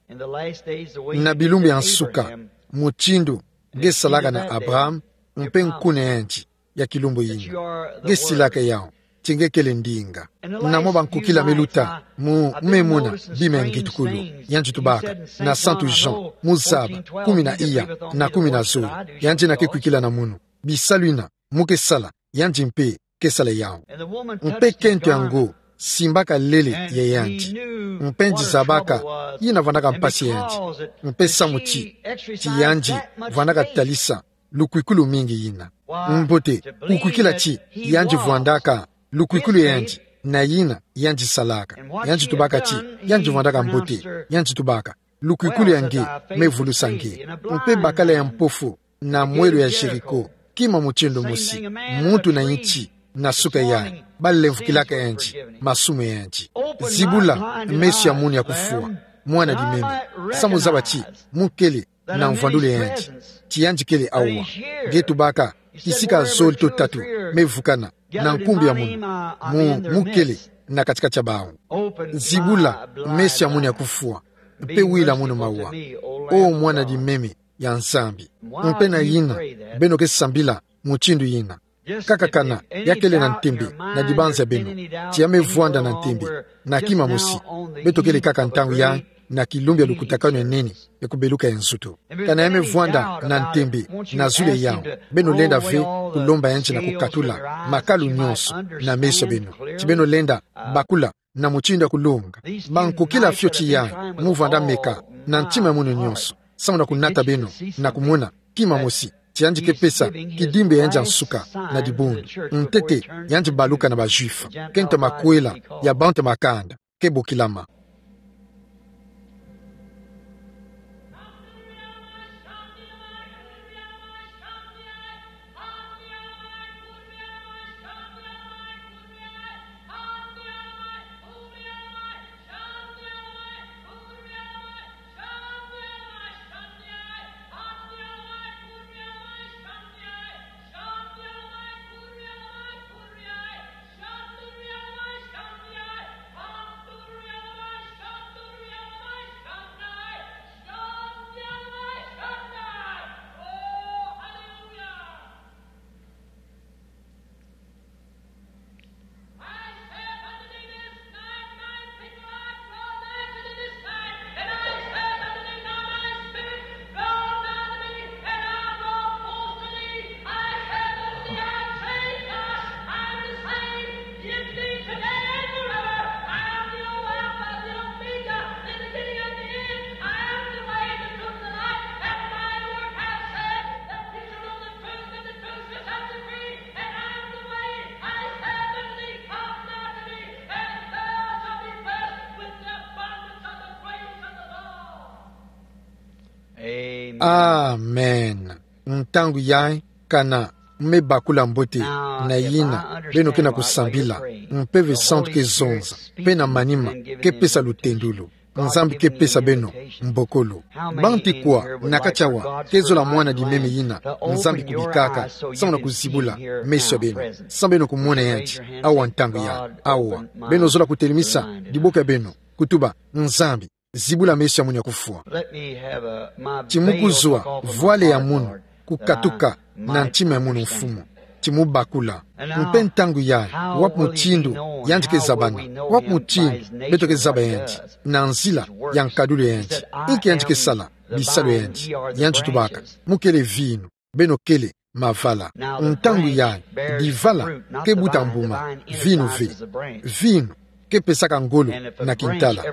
Na bilumbu ya nsuka, mutindu nge salaka na Abraham mpe nkuna ya yandi ya kilumbu yina, nge silaka yawu ti nge kele ndinga. Na mwa bankokila me luta, mu, me mona bima ya ngitukulu, yandi tubaka, na Santu Jean, mu zaba, kumi na iya, na kumi na zole, yandi yina ke kwikila na munu. Bisalu yina mu ke sala, yandi mpe ke sala yawu. Mpe kento yango simbaka lele ya yandi, mpe ngi zabaka yina vwandaka mpasi ya yandi, mpe samu ti, ti yandi vwandaka talisa lukwikulu mingi yina. Mbote, kukwikila ti yandi vwandaka lukwikulu ya yandi na yina yandi salaka. Yandi tubaka ti yandi vwandaka mbote, yandi tubaka, lukwikulu ya nge me vulusa nge. Mpe bakala ya mpofu na mwelo ya Jéricho, kima mutindu mosi, muntu na nti na suka yayi balemvokilaka yandi masumu ya yandi. Zibula meso ya munu ya kufwa, mwana dimeme, samu zaba ti mu kele na mvwandulu ya yandi, ti yandi kele awa. Nge tubaka kisika zole to tatu me vukana na nkumbu ya munu, mu, mu kele na kati-kati ya bawu. Zibula meso ya munu ya kufwa, mpe wila munu mawa, o mwana dimeme ya Nzambi. Mpe na yina beno ke sambila mutindu yina. Kaka kana ya kele na ntembe na dibanza ya beno, ti ya me vwanda na ntembe na kima mosi, beto kele kaka ntangu yayi na kilumbu ya lukutakanu ya nene ya kubeluka ya nzutu. Kana ya me vwanda na ntembe na zulu ya yawu, beno lenda ve kulomba yandi na kukatula makalu nyonso na meso ya beno, ti beno lenda bakula na mutindu ya kulonga. Bankokila fioti yayi mu vwanda meka na ntima ya munu nyonso, samu na kunata beno na kumona kima mosi, ti yandi ke pesa kidimbu ya yandi ya nsuka na dibundu. Ntete yandi baluka na ba Juifs, kento makwela ya bantu ya makanda ke bokilama. Amen. Ntangu yayi, kana me bakula mbote na yina beno ke na kusambila, Mpeve Santu ke zonza, mpe na manima ke pesa lutendolo. Nzambi ke pesa beno mbokolo. Banti kwa na kati awa ke zola mwana dimeme yina Nzambi kubikaka, samu na kuzibula meso ya beno, samu beno kumona yandi awa ntangu yayi? Awa, beno zola kutelemisa diboko ya beno, kutuba: Nzambi, zibula meso ya munu ya kufwa. Let me have a, my Ti mu veil kuzwa, to fall from vwale ya the heart of munu, Lord, kukatuka, that I na ntima ya munu, Mfumu. Ti mu bakula. Mpe ntangu yayi, wapi mutindu yandi ke zabana, wapi mutindu beto ke zaba yandi, na nzila ya nkadulu ya yandi, inki yandi ke sala bisalu ya yandi, yandi tubaka: Mu kele vinu, beno kele mavala. Ntangu yayi, divala ke buta mbuma, vinu ve. Vinu ke pesaka ngolo na kintala.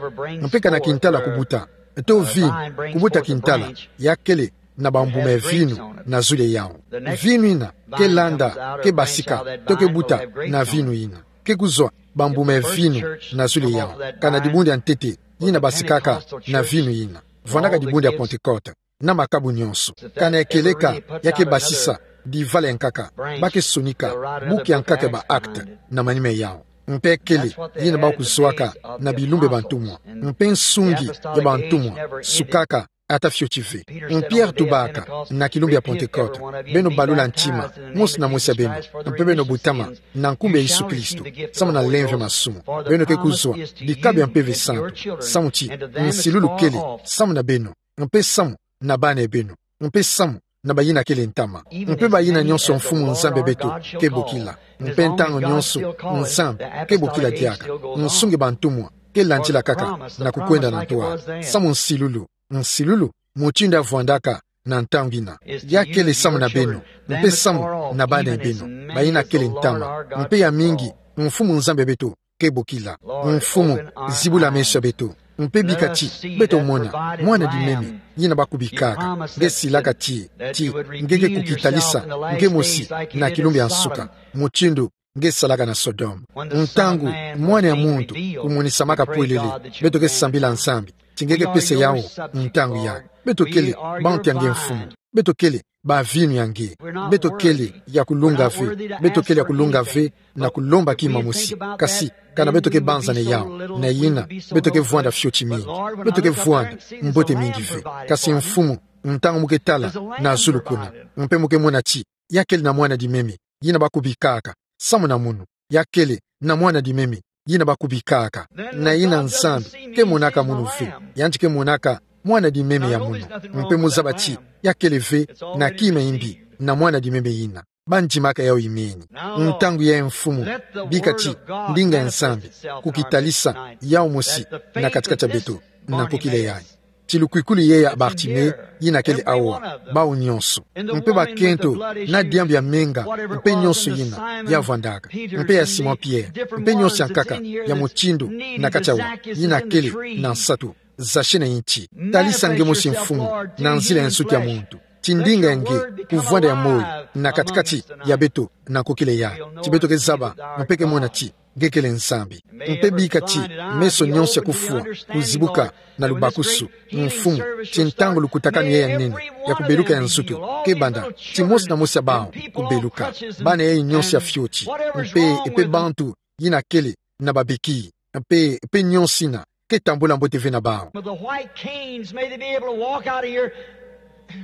Mpe kana kintala kubuta, to vinu kubuta kintala, ya kele na bambuma ya vinu na zulu yawu. Vinu ina ke landa ke basika, to ke buta na vinu ina, ke kuzwa bambuma ya vinu na zulu yawu. Kana dibundu ya ntete yina basikaka na vinu ina, vwandaka dibundu ya Pantekote, na makabu nyonso. Kana ekeleka, ya ke basisa divala ya nkaka, ba ke sonika buku ya nkaka ya ba acte na manima yawu. Mpe kele yina ba kuzwaka na bilumbu ya bantumwa. Mpe nsungi ya bantumwa sukaka ata fioti ve. Mpe Pierre tubaka na kilumbu ya Pantekote: Beno balula ntima, mosi na mosi ya beno, mpe beno butama na nkumbu ya Yesu Kristo, samu na lemvo ya masumu. Beno ke kuzwa dikabu ya Mpeve Santu, samu ti nsilulu kele samu na beno, mpe samu na bana ya beno, mpe samu na bayina kele ntama, mpe bayina nyonso Mfumu Nzambi ya beto ke bokila. Mpe ntangu nyonso Nzambi ke bokila diaka, nsungi ya bantumwa ke landila kaka na kukwenda na ntwala, samu nsilulu, nsilulu mutindu ya vwandaka na ntangu ina, ya kele samu na beno, mpe samu na bana ya beno, bayina kele ntama, mpe ya mingi Mfumu Nzambi ya beto ke bokila. Mfumu, zibula meso ya beto, mpe bika ti beto mona mwana-dimemi yina ba kubikaka. Nge silaka ti, ti nge ke kukitalisa nge mosi na kilumbu ya nsuka, mutindu nge salaka na Sodome. Ntangu Mwana ya Muntu kumonisamaka pwelele, beto ke sambila Nzambi ti nge ke pesa yawu ntangu yayi. Beto kele bantu ya nge, Mfumu. Beto kele bavinu ya nge. Beto kele ya kulunga ve. Beto kele ya kulunga ve na kulomba kima mosi. Kasi kana beto ke banzana yawu, na yina beto ke vwanda fioti mingi. Beto ke vwanda mbote mingi ve. Kasi Mfumu, ntangu mu ke tala na zulu kuna, mpe mu ke mona ti ya kele na mwana-dimemi yina ba kubikaka samu na munu, ya kele na mwana-dimemi yina ba kubikaka, na yina Nzambi ke monaka munu ve, yandi ke monaka mwana-dimemi ya munu. Mpe mu zaba ti ya kele ve na kima ya mbi na mwana-dimemi yina. Ba ndimaka yawu imeni. Ntangu yayi, Mfumu, bika ti ndinga ya Nzambi kukitalisa yawu mosi na kati-kati ya beto na nkokila yayi. Ti lukwikulu yeyi ya Bartime yina kele awa, bawu nyonso, mpe bakento na diambu ya menga, mpe nyonso yina ya vwandaka, mpe ya Simon Pierre, mpe nyonso ya nkaka ya mutindu na kati awa, yina kele na nsatu, Zachée na inti. Talisa nge mosi, Mfumu, na nzila ya nsuki ya muntu, ti ndinga ya nge kuvwanda ya moyo na kati-kati ya beto na nkokila yayi. Ti beto ke zaba mpe ke mona ti nge kele Nzambi. Mpe bika ti meso nyonso ya kufwa kuzibuka na lubakusu, Mfumu, ti ntangu lukutakanu yayi ya nene ya kubeluka ya nzutu ke banda, ti mosi na mosi ya bawu kubeluka, bana yayi nyonso ya fioti, mpe, mpe bantu yina kele na babéquilles, mpe, mpe nyonso yina ke tambula mbote ve na bawu. With the white canes, may they be able to walk out of here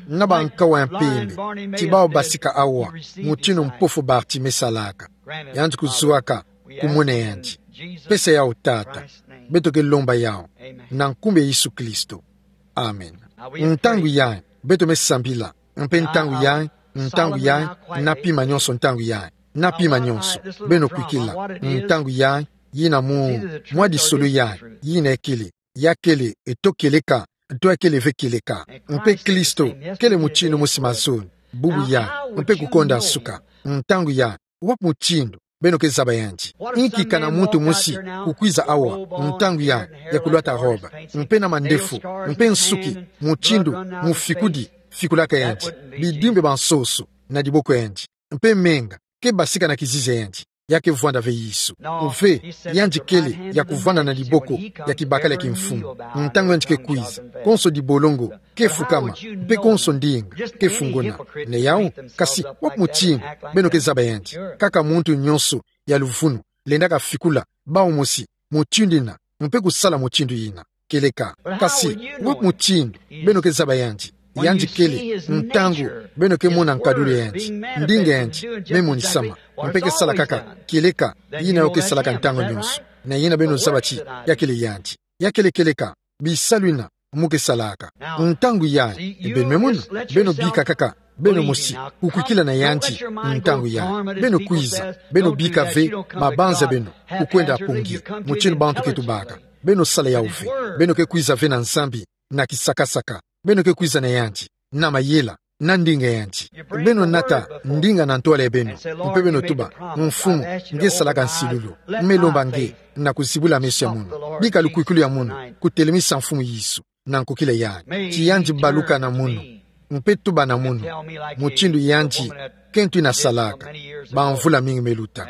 na bankawa ya mpembe, ti bawu basika awa mutindu mpofu Bartime salaka. Yandi kuzwaka kumona yandi. Pesa yawu, Tata. Beto ke lomba yawu na nkumbu ya Yesu Kristo. Amen. Ntangu yayi beto me sambila, mpe ntangu yayi, ntangu yayi, na pima nyonso, ntangu yayi, na pima nyonso. Beno kwikila, ntangu yayi, yina mu, mwa disolo yayi, yina ekele, ya kele, eto kieleka, to ya kele ve kieleka. Mpe Kristo kele mutindu mosi mazono, bubu yayi, mpe kukonda nsuka. Ntangu yayi, wapi mutindu beno ke zaba yandi? Inki kana muntu mosi kukwiza awa ntangu yayi ya kulwata robe, mpe na mandefu, mpe nsuki mutindu mufikudi fikulaka yandi, bidimbu bia nsoso na diboko yandi, mpe menga ke basika na kizizi ya yandi? Ya ke vwanda ve Yesu. Ve, yandi kele ya kuvwanda na diboko ya kibakala ya kimfumu. Ntangu yandi ke kwiza, konso dibolongo ke fukama, mpe konso ndinga ke funguna. Ni yawu, kasi wapi mutindu beno ke zaba yandi? Kaka muntu nyonso ya luvunu lendaka fikula bawu mosi mutindu yina, mpe kusala mutindu yina. Kieleka. Kasi wapi mutindu beno ke zaba yandi? Yandi kele, ntangu beno ke mona nkadulu ya yandi, ndinga ya yandi me monisama, mpe ke sala kaka kieleka yina yo ke salaka ntangu nyonso. Ni yina beno zaba ti ya kele yandi. Ya kele kieleka. Bisalu yina mu ke salaka. Ntangu yayi, beno me mona, beno bika kaka beno mosi, kukwikila na yandi. Ntangu yayi, beno kwiza, beno bika ve mabanza beno, kukwenda pongi, mutindu bantu ke tubaka. Beno sala yawu ve. Beno ke kwiza ve na Nzambi na kisakasaka. Beno ke kwiza na yandi na mayela, na ndinga yandi. Beno nata ndinga na ntwala ya beno, mpe beno tuba: Mfumu, nge salaka nsilulu. Me lomba nge na kuzibula meso ya mono. Bika lukwikilu ya mono kutelemisa Mfumu Yesu na nkokila yayi. Ti yandi baluka na mono, mpe tuba na mono, mutindu yandi kento yina salaka bamvula mingi me luta.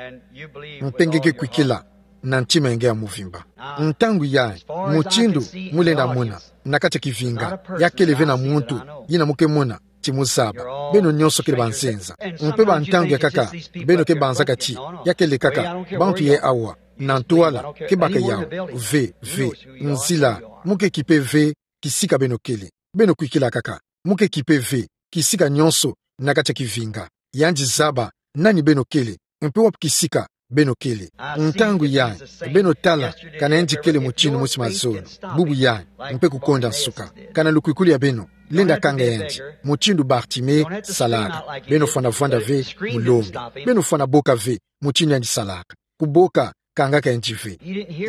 Mpe nge ke kwikila na ntima ya nge ya mvimba. Ntangu yayi, mutindu mu lenda mona na kati ya kivinga, ya kele ve na muntu yina mu ke mona ti mu zaba. Beno nyonso kele banzenza. Mpe ba ntangu ya nkaka, beno ke banzaka ti ya kele kaka bantu yayi awa, na ntwala ke baka yawu. Ve, ve, nzila mu ke kipe ve kisika beno kele. Beno kwikila kaka. Mu ke kipe ve kisika nyonso na kati ya kivinga. Yandi zaba nani beno kele, mpe wapi kisika beno kele. Ntangu yayi, beno tala kana yandi kele mutindu mosi mazono, bubu yayi, mpe kukonda nsuka. Kana lukwikilu ya beno lenda kanga yandi, mutindu Bartime salaka. Beno fwana vwanda ve mu lombi. Beno fwana boka ve mutindu yandi salaka. Kuboka kangaka yandi ve.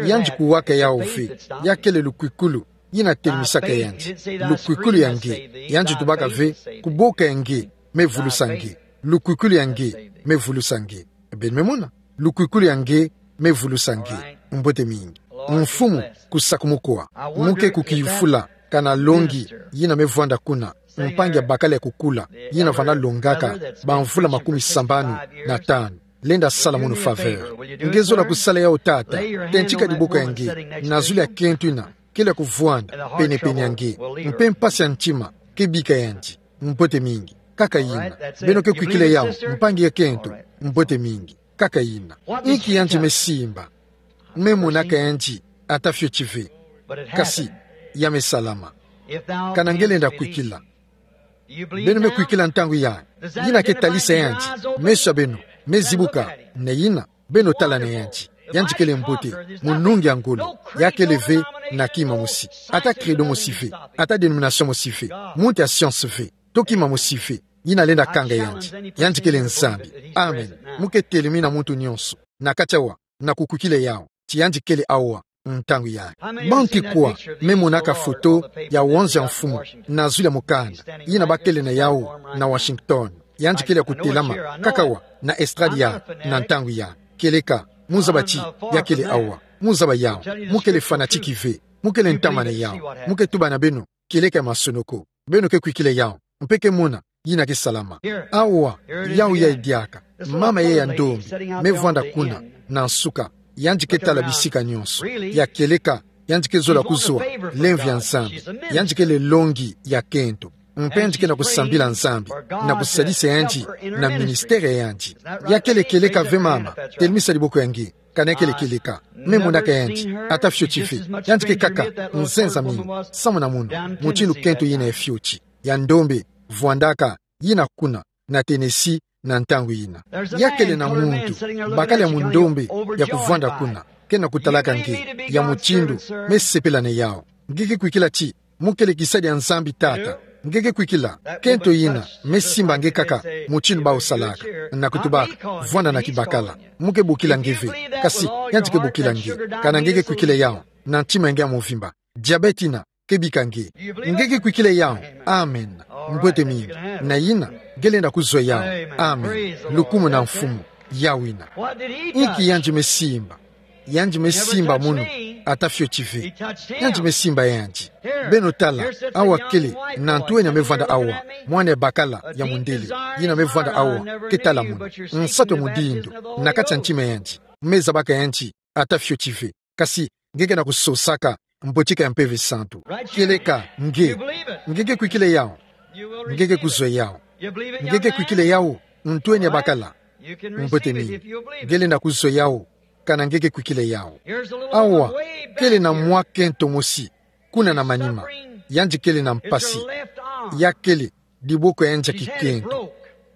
Yandi kuwaka yawu ve. Ya kele lukwikilu yina temisaka yandi. Lukwikilu ya nge. Yandi tubaka ve: Kuboka ya nge me vulusa nge. Lukwikilu ya nge me vulusa nge. Beno me mona? Lukwikilu ya nge me vulusa nge. Mbote mingi. Mfumu, kusakumunu kwa. Mu ke kukifula kana longi yina me vwanda kuna, mpangi ya bakala ya kukula yina vana longaka bamvula makumi sambanu na tanu, lenda sala mono faveur. Nge zola kusala yawu, tata? Tentika diboko ya nge na zulu ya kento yina kele ya kuvwanda penepene ya nge, mpe mpasi ya ntima ke bika yandi. Mbote mingi. Kaka yina. Beno ke kwikila yawu, mpangi ya kento. Mbote mingi. Kaka yina. Inki yandi me simba? Me monaka yandi ata fioti ve. Kasi ya me salama. Kana nge lenda kwikila? Beno me kwikila ntangu yayi? Yina ke talisa yandi. Meso ya beno me zibuka. Na yina, beno tala na yandi. Yandi kele mbote, munungi ya ngolo. Ya kele ve na kima mosi, ata credo mosi ve, ata dénomination mosi ve, muntu ya science ve, to kima mosi ve yina lenda kanga yandi. Yandi kele Nzambi. Amen. Mu ke telemi na muntu nyonso na kati awa, na kukwikila yawu ti yandi kele awa ntangu yayi. Banki kwa me monaka foto ya wonza ya mfumu na zulu ya mukanda yina ba kele na yawu na Washington? Yandi kele ya kutelama kaka awa na estrade yayi na ntangu yayi. Kieleka mu zaba ti ya kele awa. Mu zaba yawu. Mu kele fanatique ve. Mu kele ntama na yawu. Mu ke tuba na beno: Kieleka ya masonoko. Beno ke kwikila yawu, mpe ke mona yina ke salama. Awa, yawu yayi diaka, mama yayi ya ndombe me vwanda kuna na nsuka. Yandi ke tala bisika nyonso. Ya kieleka, yandi ke zola kuzwa lemvo ya Nzambi. Yandi kele longi ya kento. Mpe yandi ke na kusambila Nzambi na kusadisa yandi na ministère ya yandi. Ya kele kieleka ve, mama? Telemisa diboko ya nge. Kana ya kele kieleka? Me monaka yandi ata fioti ve. Yandi ke kaka nzenza mingi samu na mono, mutindu kento yina ya fioti, ya ndombe, vwandaka yina kuna na Tennessee na ntangu yina. Ya kele na muntu, bakala ya mundombe, ya kuvwanda kuna, ke na kutalaka nge, ya mutindu me sepela na yawu. Nge ke kwikila ti mu kele kisadi ya Nzambi, tata? Nge ke kwikila? Kento yina me simba nge kaka mutindu bawu salaka, na kutubaka: Vwanda na kibakala. Mu ke bokila nge ve. Kasi yandi ke bokila nge. Kana nge ke kwikila yawu na ntima ya nge ya mvimba? Diabète yina ke bika nge. Nge ke kwikila yawu? Amen. Mbote mingi. Na yina, nge lenda kuzwa yawu. Amen. Lukumu na Mfumu. Yawu yina. Inki yandi me simba? Yandi me simba mono ata fioti ve. Yandi me simba yandi. Beno tala, awa kele na ntwenya me vwanda awa, mwana ya bakala ya mundele yina me vwanda awa, ke tala mono. Nsatu ya mudindo na kati ya ntima ya yandi. Me zabaka yandi ata fioti ve. Kasi nge ke na kusosaka mbotika ya Mpeve Santu. Kieleka nge. Nge ke kwikila yawu? Nge ke kuzwa yawu. Nge ke kwikila yawu, ntwenya ya bakala? Mbote mingi. Nge lenda kuzwa yawu kana nge ke kwikila yawu. Awa kele na mwa kento mosi kuna na manima. Yandi kele na mpasi. Ya kele diboko ya yandi ya kikento.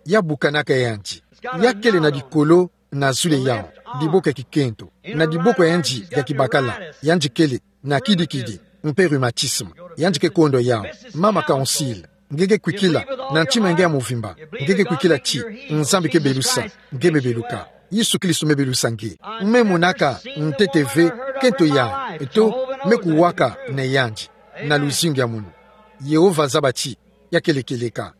Ya bukanaka yandi. Ya kele na dikolo na zulu yawu, diboko ya kikento. Na diboko ya yandi ya kibakala, yandi kele na kidikidi. mpe rhumatisme. Yandi ke kondwa yawu. Mama Council, nge ke kwikila, na ntima nge ya mvimba, nge ke kwikila ti Nzambi ke belusa, nge me beluka. Yesu Kristo me belusa nge. Me monaka ntete ve kento ya, eto me kuwaka na yandi, na luzingu ya munu. Yehova zaba ti ya kele kieleka.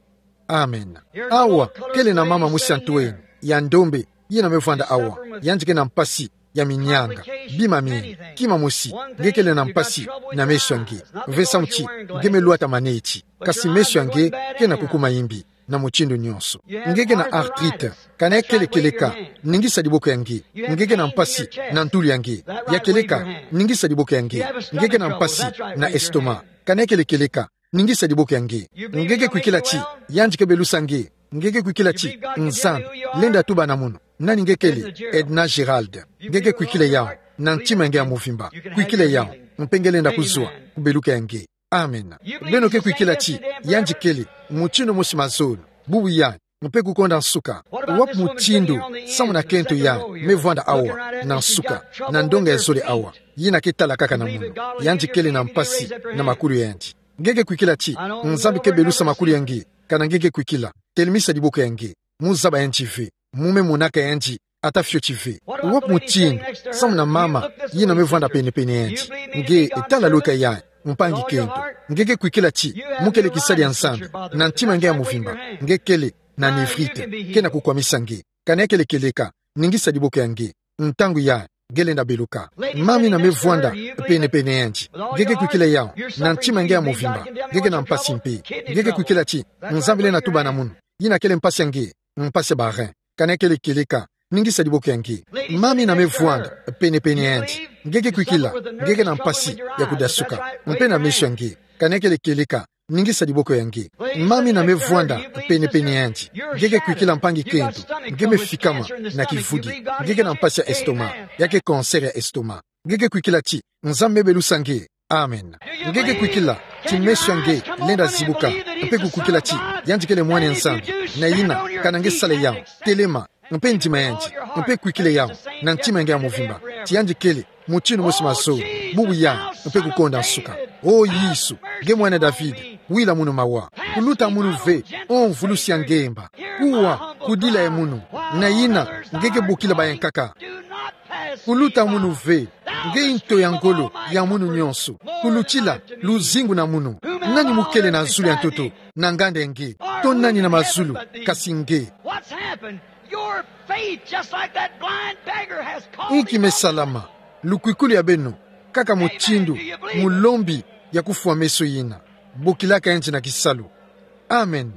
Amen. Awa, kele na mama mosi ya ntu eni, ya ndombe, yina me vwanda awa, yandi ke na mpasi ya minyanga, bima mie, kima mosi, nge kele na mpasi na meso ya nge. Ve samu ti nge me lwata maneti, kasi meso ya nge ke na kukuma imbi, na mutindu nyonso. Nge ke na arthrite, kana ya kele kieleka, ningisa diboko ya nge. Nge ke na mpasi na ntulu ya nge, ya kieleka, ningisa diboko ya nge. Nge ke na mpasi na estomac, kana ya kele kieleka, ningisa diboko ya nge. Nge ke kwikila ti yandi ke belusa nge. Nge ke kwikila ti Nzambi lenda tuba na munu. Nani nge kele? Edna Gerald. Nge ke kwikila yawu na ntima nge ya mvimba. Kwikila yawu, mpe nge lenda kuzwa kubeluka ya nge. Amen. Beno ke kwikila ti yandi kele mutindu mosi mazono, bubu ya, mpe kukonda nsuka. Wapi mutindu, samu na kento ya me vwanda awa, na nsuka, na ndonga ya zole awa, yina ke tala kaka na munu, yandi kele na mpasi na makulu ya yandi. Nge ke kwikila ti Nzambi ke belusa makulu ya nge, kana nge ke kwikila, telemisa diboko ya nge. Mu zaba yandi ve, mu me monaka yandi, ata fioti ve. Wapi mutindu, samu na mama yina me vwanda penepene ya yandi. Nge tala loka ya mpangi kento. Nge ke kwikila ti mu kele kisadi ya Nzambi na ntima nge ya mvimba. Nge kele na nephrite, ke na kukwamisa nge. Kana ya kele kieleka, ningisa diboko ya nge. Ntangu ya nge lenda beluka. Mama yina me vwanda penepene ya yandi. Nge ke kwikila yawu na ntima nge ya mvimba. Nge ke na mpasi mpe. Nge ke kwikila ti Nzambi lenda tuba na munu. Yina kele mpasi ya nge, mpasi ya ba rein. Kana ya kele kieleka, ningisa diboko ya nge. Mama yina me vwanda penepene ya yandi. Nge ke kwikila, nge ke na mpasi ya kudasuka, mpe na meso ya nge. Kana ya kele kieleka, ningisa diboko ya nge. Mama yina me vwanda penepene ya yandi. Nge ke kwikila mpangi kento, nge me fikama na kivudi. Nge ke na mpasi ya estomac, ya ke cancer ya estomac. Nge ke kwikila ti Nzambi me belusa nge. Amen. Nge ke kwikila ti meso ya nge lenda zibuka, mpe kukwikila ti yandi kele mwana ya Nzambi. Na yina, kana nge sala yawu, telema, mpe ndima yandi, mpe kwikila yawu na ntima nge ya mvimba, ti yandi kele mutindu mosi mazono, bubu ya, mpe kukonda nsuka. O Yesu, nge mwana David, wila munu mawa. Kuluta munu ve, o mvulusi ya ngemba. Kuwa, kudila ye munu. Na yina, nge ke bokila bayankaka. Kuluta munu ve, nge nto ya ngolo ya munu nyonso. Kulutila luzingu na munu. Nani mu kele na zulu ya ntoto, na nganda ya nge? To nani na mazulu, kasi nge? What's happened? Your faith, just like that blind beggar, has called. Inki me salama? Lukwikulu ya beno, kaka mutindu mulembi ya kufwa meso yina, bokilaka yandi na kisalu. Amen.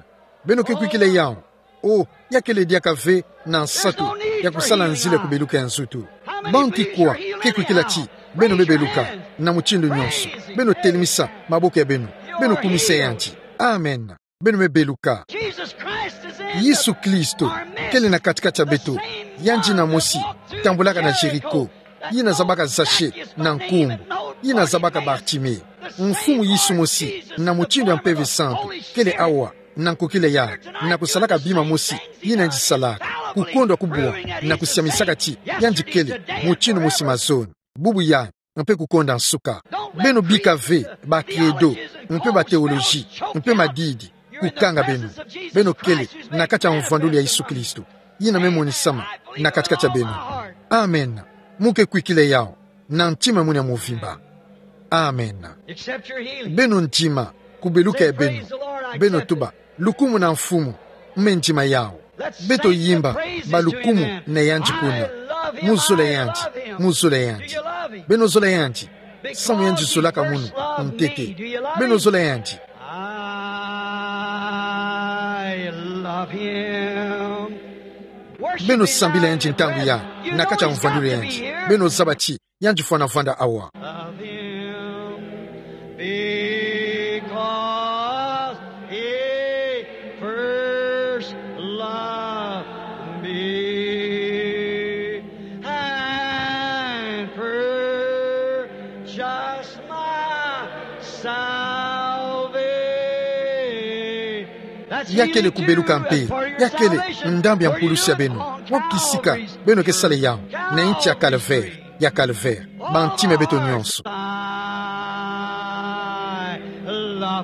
Beno ke kwikila yawu. O, ya kele diaka ve na nsatu ya kusala nzila ya kubeluka ya nzoto. Bantu kwa ke kwikila ti beno me beluka na mutindu nyonso? Beno telemisa maboko ya beno. Beno kumisa yandi. Amen. Beno me beluka. Yesu Kristo kele na kati-kati ya beto. Yandi yina mosi tambulaka na Jéricho, yina zabaka Zaché na nkumbu, yina zabaka Bartimée. Mfumu Yesu mosi, na mutindu ya Mpeve Santu, kele awa, na nkokila ya, na kusalaka bima mosi yina yandi salaka, kukondwa kubwa, na kusiamisaka ti yandi kele mutindu mosi mazono, bubu ya, mpe kukonda nsuka. Beno bika ve ba credo, mpe ba théologie, mpe madidi kukanga beno. Beno kele na kati ya mvwandulu ya Yesu Kristo, yina me monisama na kati-kati ya beno. Amen. Mu ke kwikila yawu na ntima ya munu ya mvimba. Amen. Beno ndima kubeluka ya beno. Beno tuba: Lukumu na Mfumu, me ndima yawu. Beto yimba ba lukumu na yandi kuna. Mu zola yandi, mu zola yandi. Beno zola yandi, samu yandi zolaka munu ntete. Beno zola yandi. Beno sambila yandi ntangu ya, na kati ya mvwandulu ya yandi. Beno zaba ti yandi fwana vwanda awa. Because he first loved me and purchased my salvation. Ya kele kubeluka mpe ya kele ndambu ya mpulusi ya beno. Wapi kisika beno ke sala yawu? Na nti ya Calvaire, ya Calvaire. Bantima ya beto nyonso.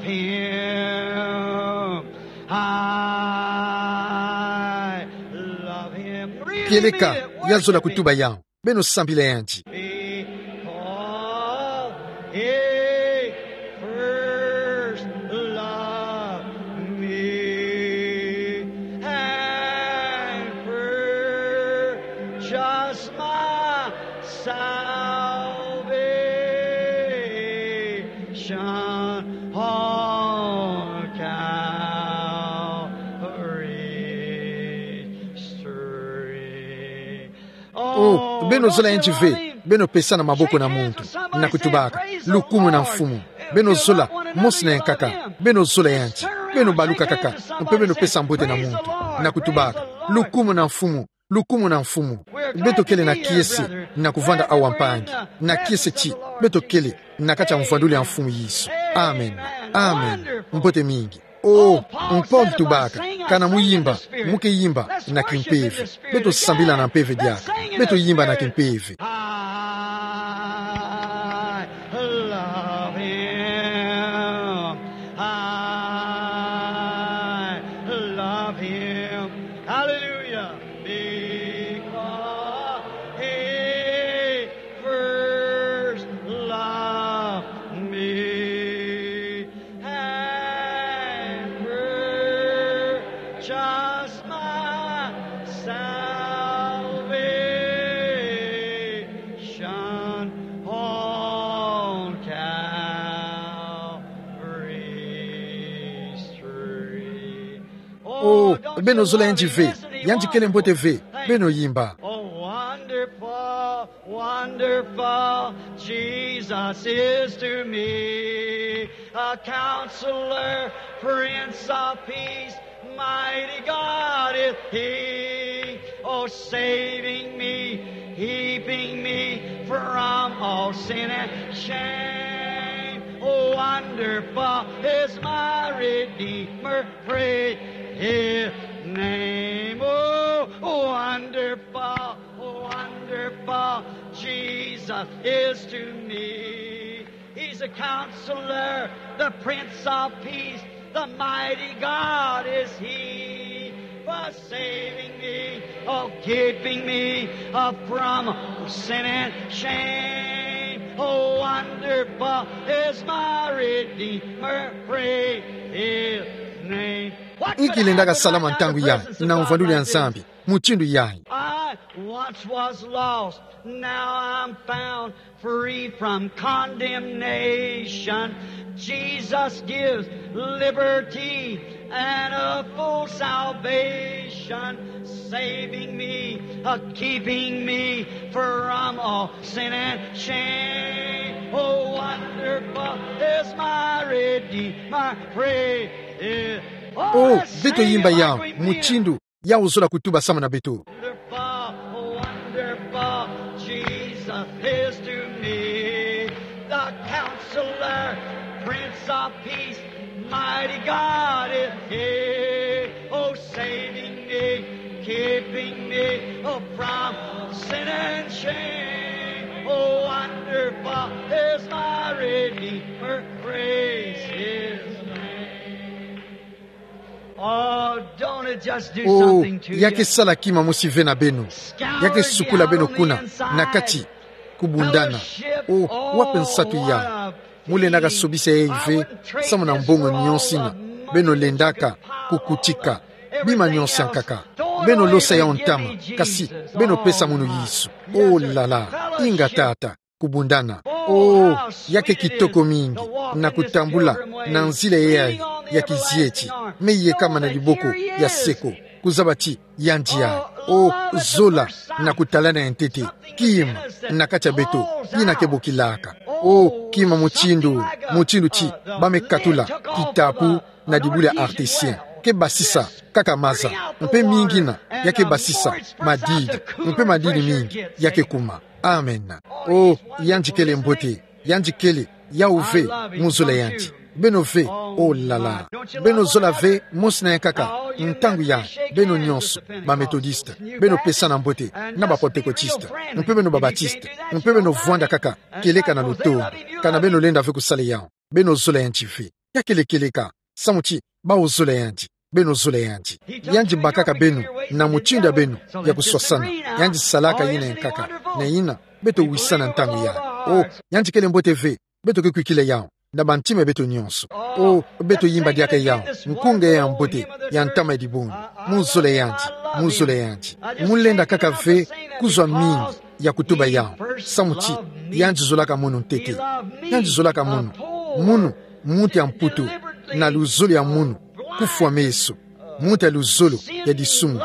Him. I love him. Really, kieleka, really ya zola kutuba ya. Beno sambila yandi. Because he first loved me and purchased my salvation on Calvary's tree. O, beno zola yandi ve, beno pesa na maboko na muntu, na kutubaka: Lukumuna Mfumu. Beno zola, mosi na yankaka, beno zola yandi, beno baluka kaka, mpe beno pesa mbote na muntu, na kutubaka: Lukumuna Mfumu, lukumuna Mfumu. Beto kele na kiese, na kuvanda awa mpangi, na kiese ti, beto kele na kati ya mvwandulu ya Mfumu Yesu. Amen. Amen. Mbote mingi. O, Paul tubaka: Kana muyimba, muke yimba na kimpeve. Beto sambila na mpeve diaka. Beto yimba na kimpeve. I love him. I love him. Hallelujah. Because he first loved me and purchased my salvation on Calvary's tree. O, beno zola yandi ve, yandi kele mbote ve, beno yimba. Oh, wonderful, wonderful Jesus is to me, a counselor, prince of peace, mighty God is he. Oh, saving me, keeping me from all sin and shame. Oh, wonderful is my Redeemer, praise his name. Oh, wonderful, wonderful Jesus is to me. He's a counselor, the prince of peace, the mighty God is he. For saving me, oh, keeping me, uh, from sin and shame. Oh, wonderful is my Redeemer, praise his name. Inki lendaka salama ntangu yayi na mvwandulu ya Nzambi mutindu yayi? I once was lost, now I'm found, free from condemnation. Jesus gives liberty and a full salvation, saving me, uh, keeping me from all sin and shame. Oh, wonderful is my Redeemer, praise his. O, beto yimba yawu mutindu yawu zola kutuba samu na beto. Wonderful, wonderful Jesus is to me, the counselor, prince of peace, mighty God is he. Oh, saving me, keeping me, oh, from sin and shame. Oh, wonderful is my Redeemer, praise his name. Oh, don't it just do something to you? O, ya ke sala kima mosi ve na beno. Ya ke sukula beno kuna na kati, kubundana. O, wapi nsatu yawu? Mu lendaka sobisa yayi ve samu na mbongo nyonso ina beno lendaka kukutika. Bima nyonso ya nkaka beno losa yawu ntama, kasi beno pesa munu Yesu. Oh là là, inga tata. Kubundana. O, ya ke kitoko mingi na kutambula na nzila yayi ya kizieti, me yekama na diboko ya seko, kuzaba ti yandi yayi. O, zola na kutalana ya ntete, kima na kati ya beto yina ke bokilaka. O, kima mutindu, mutindu ti ba me katula kitapu na dibula ya artisien, ke basisa kaka maza, mpe mingi ina ya ke basisa madidi, mpe madidi mingi ya ke kuma. Amen. O, yandi kele mbote, yandi kele yawu ve, mu zola yandi. Beno ve, oh là là. Beno zola ve mosi na yankaka ntangu yayi, beno nyonso, ba Methodiste, beno pesana mbote na ba Pentecôtiste, mpe beno ba Baptiste, mpe beno vwanda kaka kieleka na lutondo, kana beno lenda ve kusala yawu. Beno zola yandi ve. Ya kele kieleka, samu ti, bau zola yandi, beno zola yandi. Yandi bakaka beno, na mutindu ya beno, ya kuswasana. Yandi salaka yina yankaka, na yina, beto wisana ntangu yayi. O, yandi kele mbote ve, beto ke kwikila yawu, na bantima ya beto nyonso. O, beto yimba diaka yawu, nkunga ya mbote, ya ntama ya dibundu. Mu zola yandi, mu zola yandi. Mu lenda kaka ve, kuzwa mingi, ya kutuba yawu. Samu ti, yandi zolaka munu ntete. Yandi zolaka munu. Munu, muntu ya mputu, na luzolo ya munu, kufwa meso. Muntu ya luzolo, ya disumu.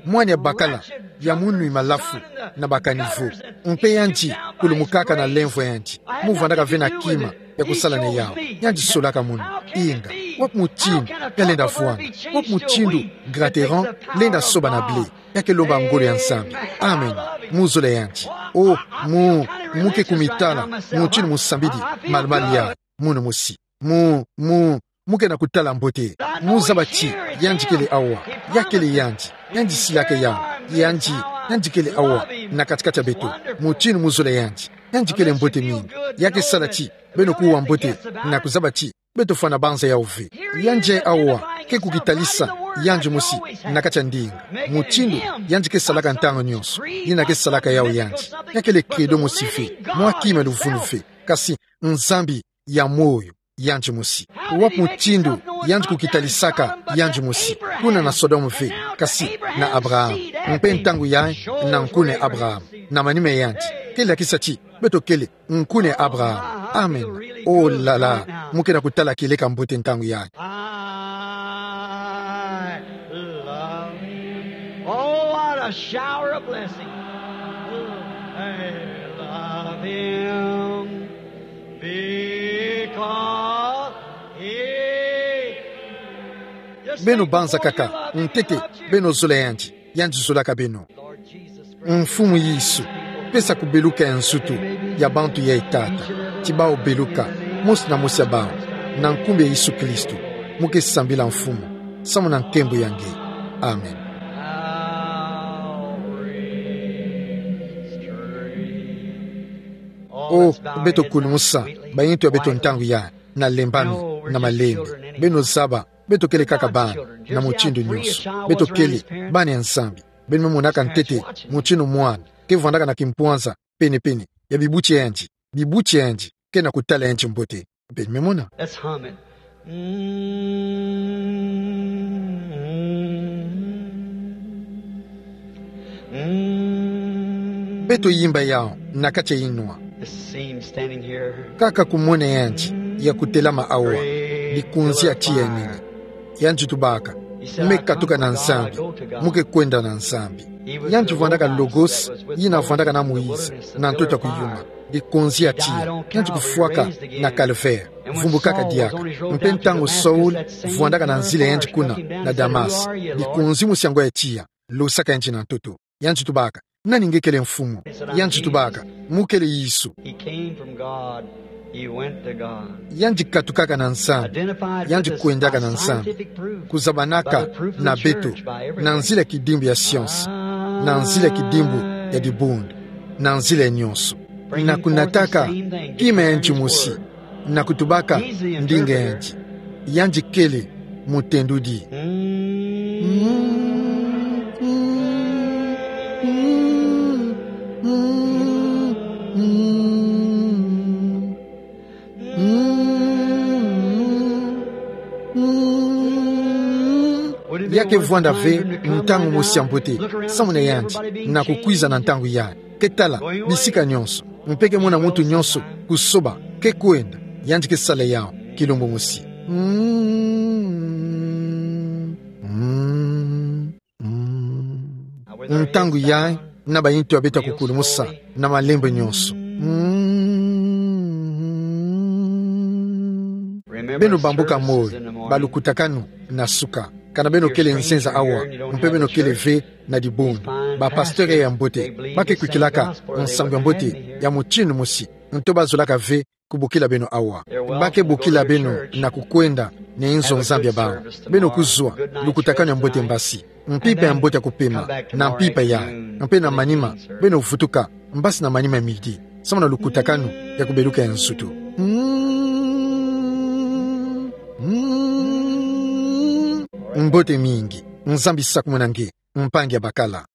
Mwana ya bakala, ya munwi malafu, na bakani vo. Mpe yandi, kulumukaka na lemvo yandi. Mu vandaka ve na kima, ya kusala na yawu. Yandi solaka munu. Inga. Wapi mutindu, ya lenda vwanda. Wapi mutindu, Grand Terrain, lenda soba na blé. Ya ke lomba ngolo ya Nzambi. Amen. Mu zola yandi. O, mu, mu ke kumitala, mutindu mu sambidi, malu-malu yayi, munu mosi. Mu, mu, mu ke na kutala mbote. Mu zaba ti, yandi kele awa. Ya kele yandi. Yandi silaka yawu. Yandi, yandi kele awa. Na kati-kati ya beto. Mutindu mu zola yandi. Yandi kele mbote mingi. Ya ke sala ti, beno kuwa mbote. Na kuzaba ti, beto fwana banza yawu ve. Yandi awa, ke kukitalisa, yandi mosi, na kati ya ndinga. Mutindu, yandi ke salaka ntangu nyonso. Yina ke salaka yawu yandi. Ya kele credo mosi ve. Mwa kima luvunu ve. Kasi, Nzambi, ya moyo, yandi mosi. Wapi mutindu, yandi kukitalisaka, yandi mosi. Kuna na Sodome ve, kasi, na Abraham. Mpe ntangu yayi, na nkuna Abraham. Na manima yandi. Ke lakisa ti, beto kele, nkuna Abraham. Amen. Oh là là. Mu ke na kutala kieleka mbote ntangu yayi. I love him. Oh, what a shower of blessing. I love him because he... Beno banza kaka, ntete, beno zola yandi. Yandi zolaka beno. Mfumu Yesu, pesa kubeluka ya nzutu ya bantu yayi Tata, ti bau beluka, mosi na mosi ya bau, na nkumbu ya Yesu Kristo, mu ke sambila Mfumu, samu na nkembo ya nge. Amen. O, beto kulumusa, bayintu ya beto ntangu yayi, na lembami, na malembe, beno zaba, beto kele kaka bana, na mutindu nyonso. Beto kele, bana ya Nzambi. Beno me monaka ntete, mutindu mwana, ke vandaka na kimpwanza, pene-pene, ya bibuti ya yandi, bibuti ya yandi, ke na kutala yandi mbote. Beno me mona. Let's hum it. Mm. Beto yimba yawu, na kati ya inwa. Kaka kumona yandi, ya kutelama awa, likunzi ya tiya ya nene. Yandi tubaka, me katuka na Nzambi, mu ke kwenda na Nzambi. Yandi vwandaka Logos, yina vwandaka na Moïse, na ntoto ya kuyuma. Likunzi ya tiya, yandi kufwaka na Calvaire, vumbukaka diaka. Mpe ntangu Saul vwandaka na nzila ya yandi kuna, na Damas, likunzi mosi yango ya tiya, losaka yandi na ntoto. Yandi tubaka, nani nge kele Mfumu? Yandi tubaka, mu kele Yesu. He came from God. He went to God. Yandi katukaka na Nzambi, yandi kwendaka na Nzambi. Kuzabanaka na beto, na nzila ya kidimbu ya science, na nzila ya kidimbu ya dibundu, na nzila nyonso. Na kunataka kima ya yandi mosi, na kutubaka ndinga ya yandi. Yandi kele mutendudi. Ya ke vwanda ve ntangu mosi ya mbote, samu na yandi, na kukwiza na ntangu yayi. Ke tala, bisika nyonso, mpe ke mona muntu nyonso kusoba, ke kwenda, yandi ke sala yawu, kilumbu mosi. Mm, mm, mm. Ntangu yayi, na bayintu ya beto ya kukulumusa, na malembe nyonso. Mm. Beno bambuka moyo, balukutakanu na suka. Kana beno kele nzenza awa, mpe beno kele ve na dibundu. Ba pasteur ya mbote, ba ke kwikilaka nsangu ya mbote ya mutindu mosi, nto ba zolaka ve kubokila beno awa. Ba ke bokila beno na kukwenda na inzo Nzambi ya bau. Beno kuzwa, lukutakanu ya mbote mbasi. Mpimpa ya mbote ya kupema, na mpimpa yayi. Mpe na manima, beno vutuka, mbasi na manima ya midi. Samu na lukutakanu ya kubeluka ya nsutu. Mm. Mbote mingi. Nzambi sakumunangi. Mpangi abakala.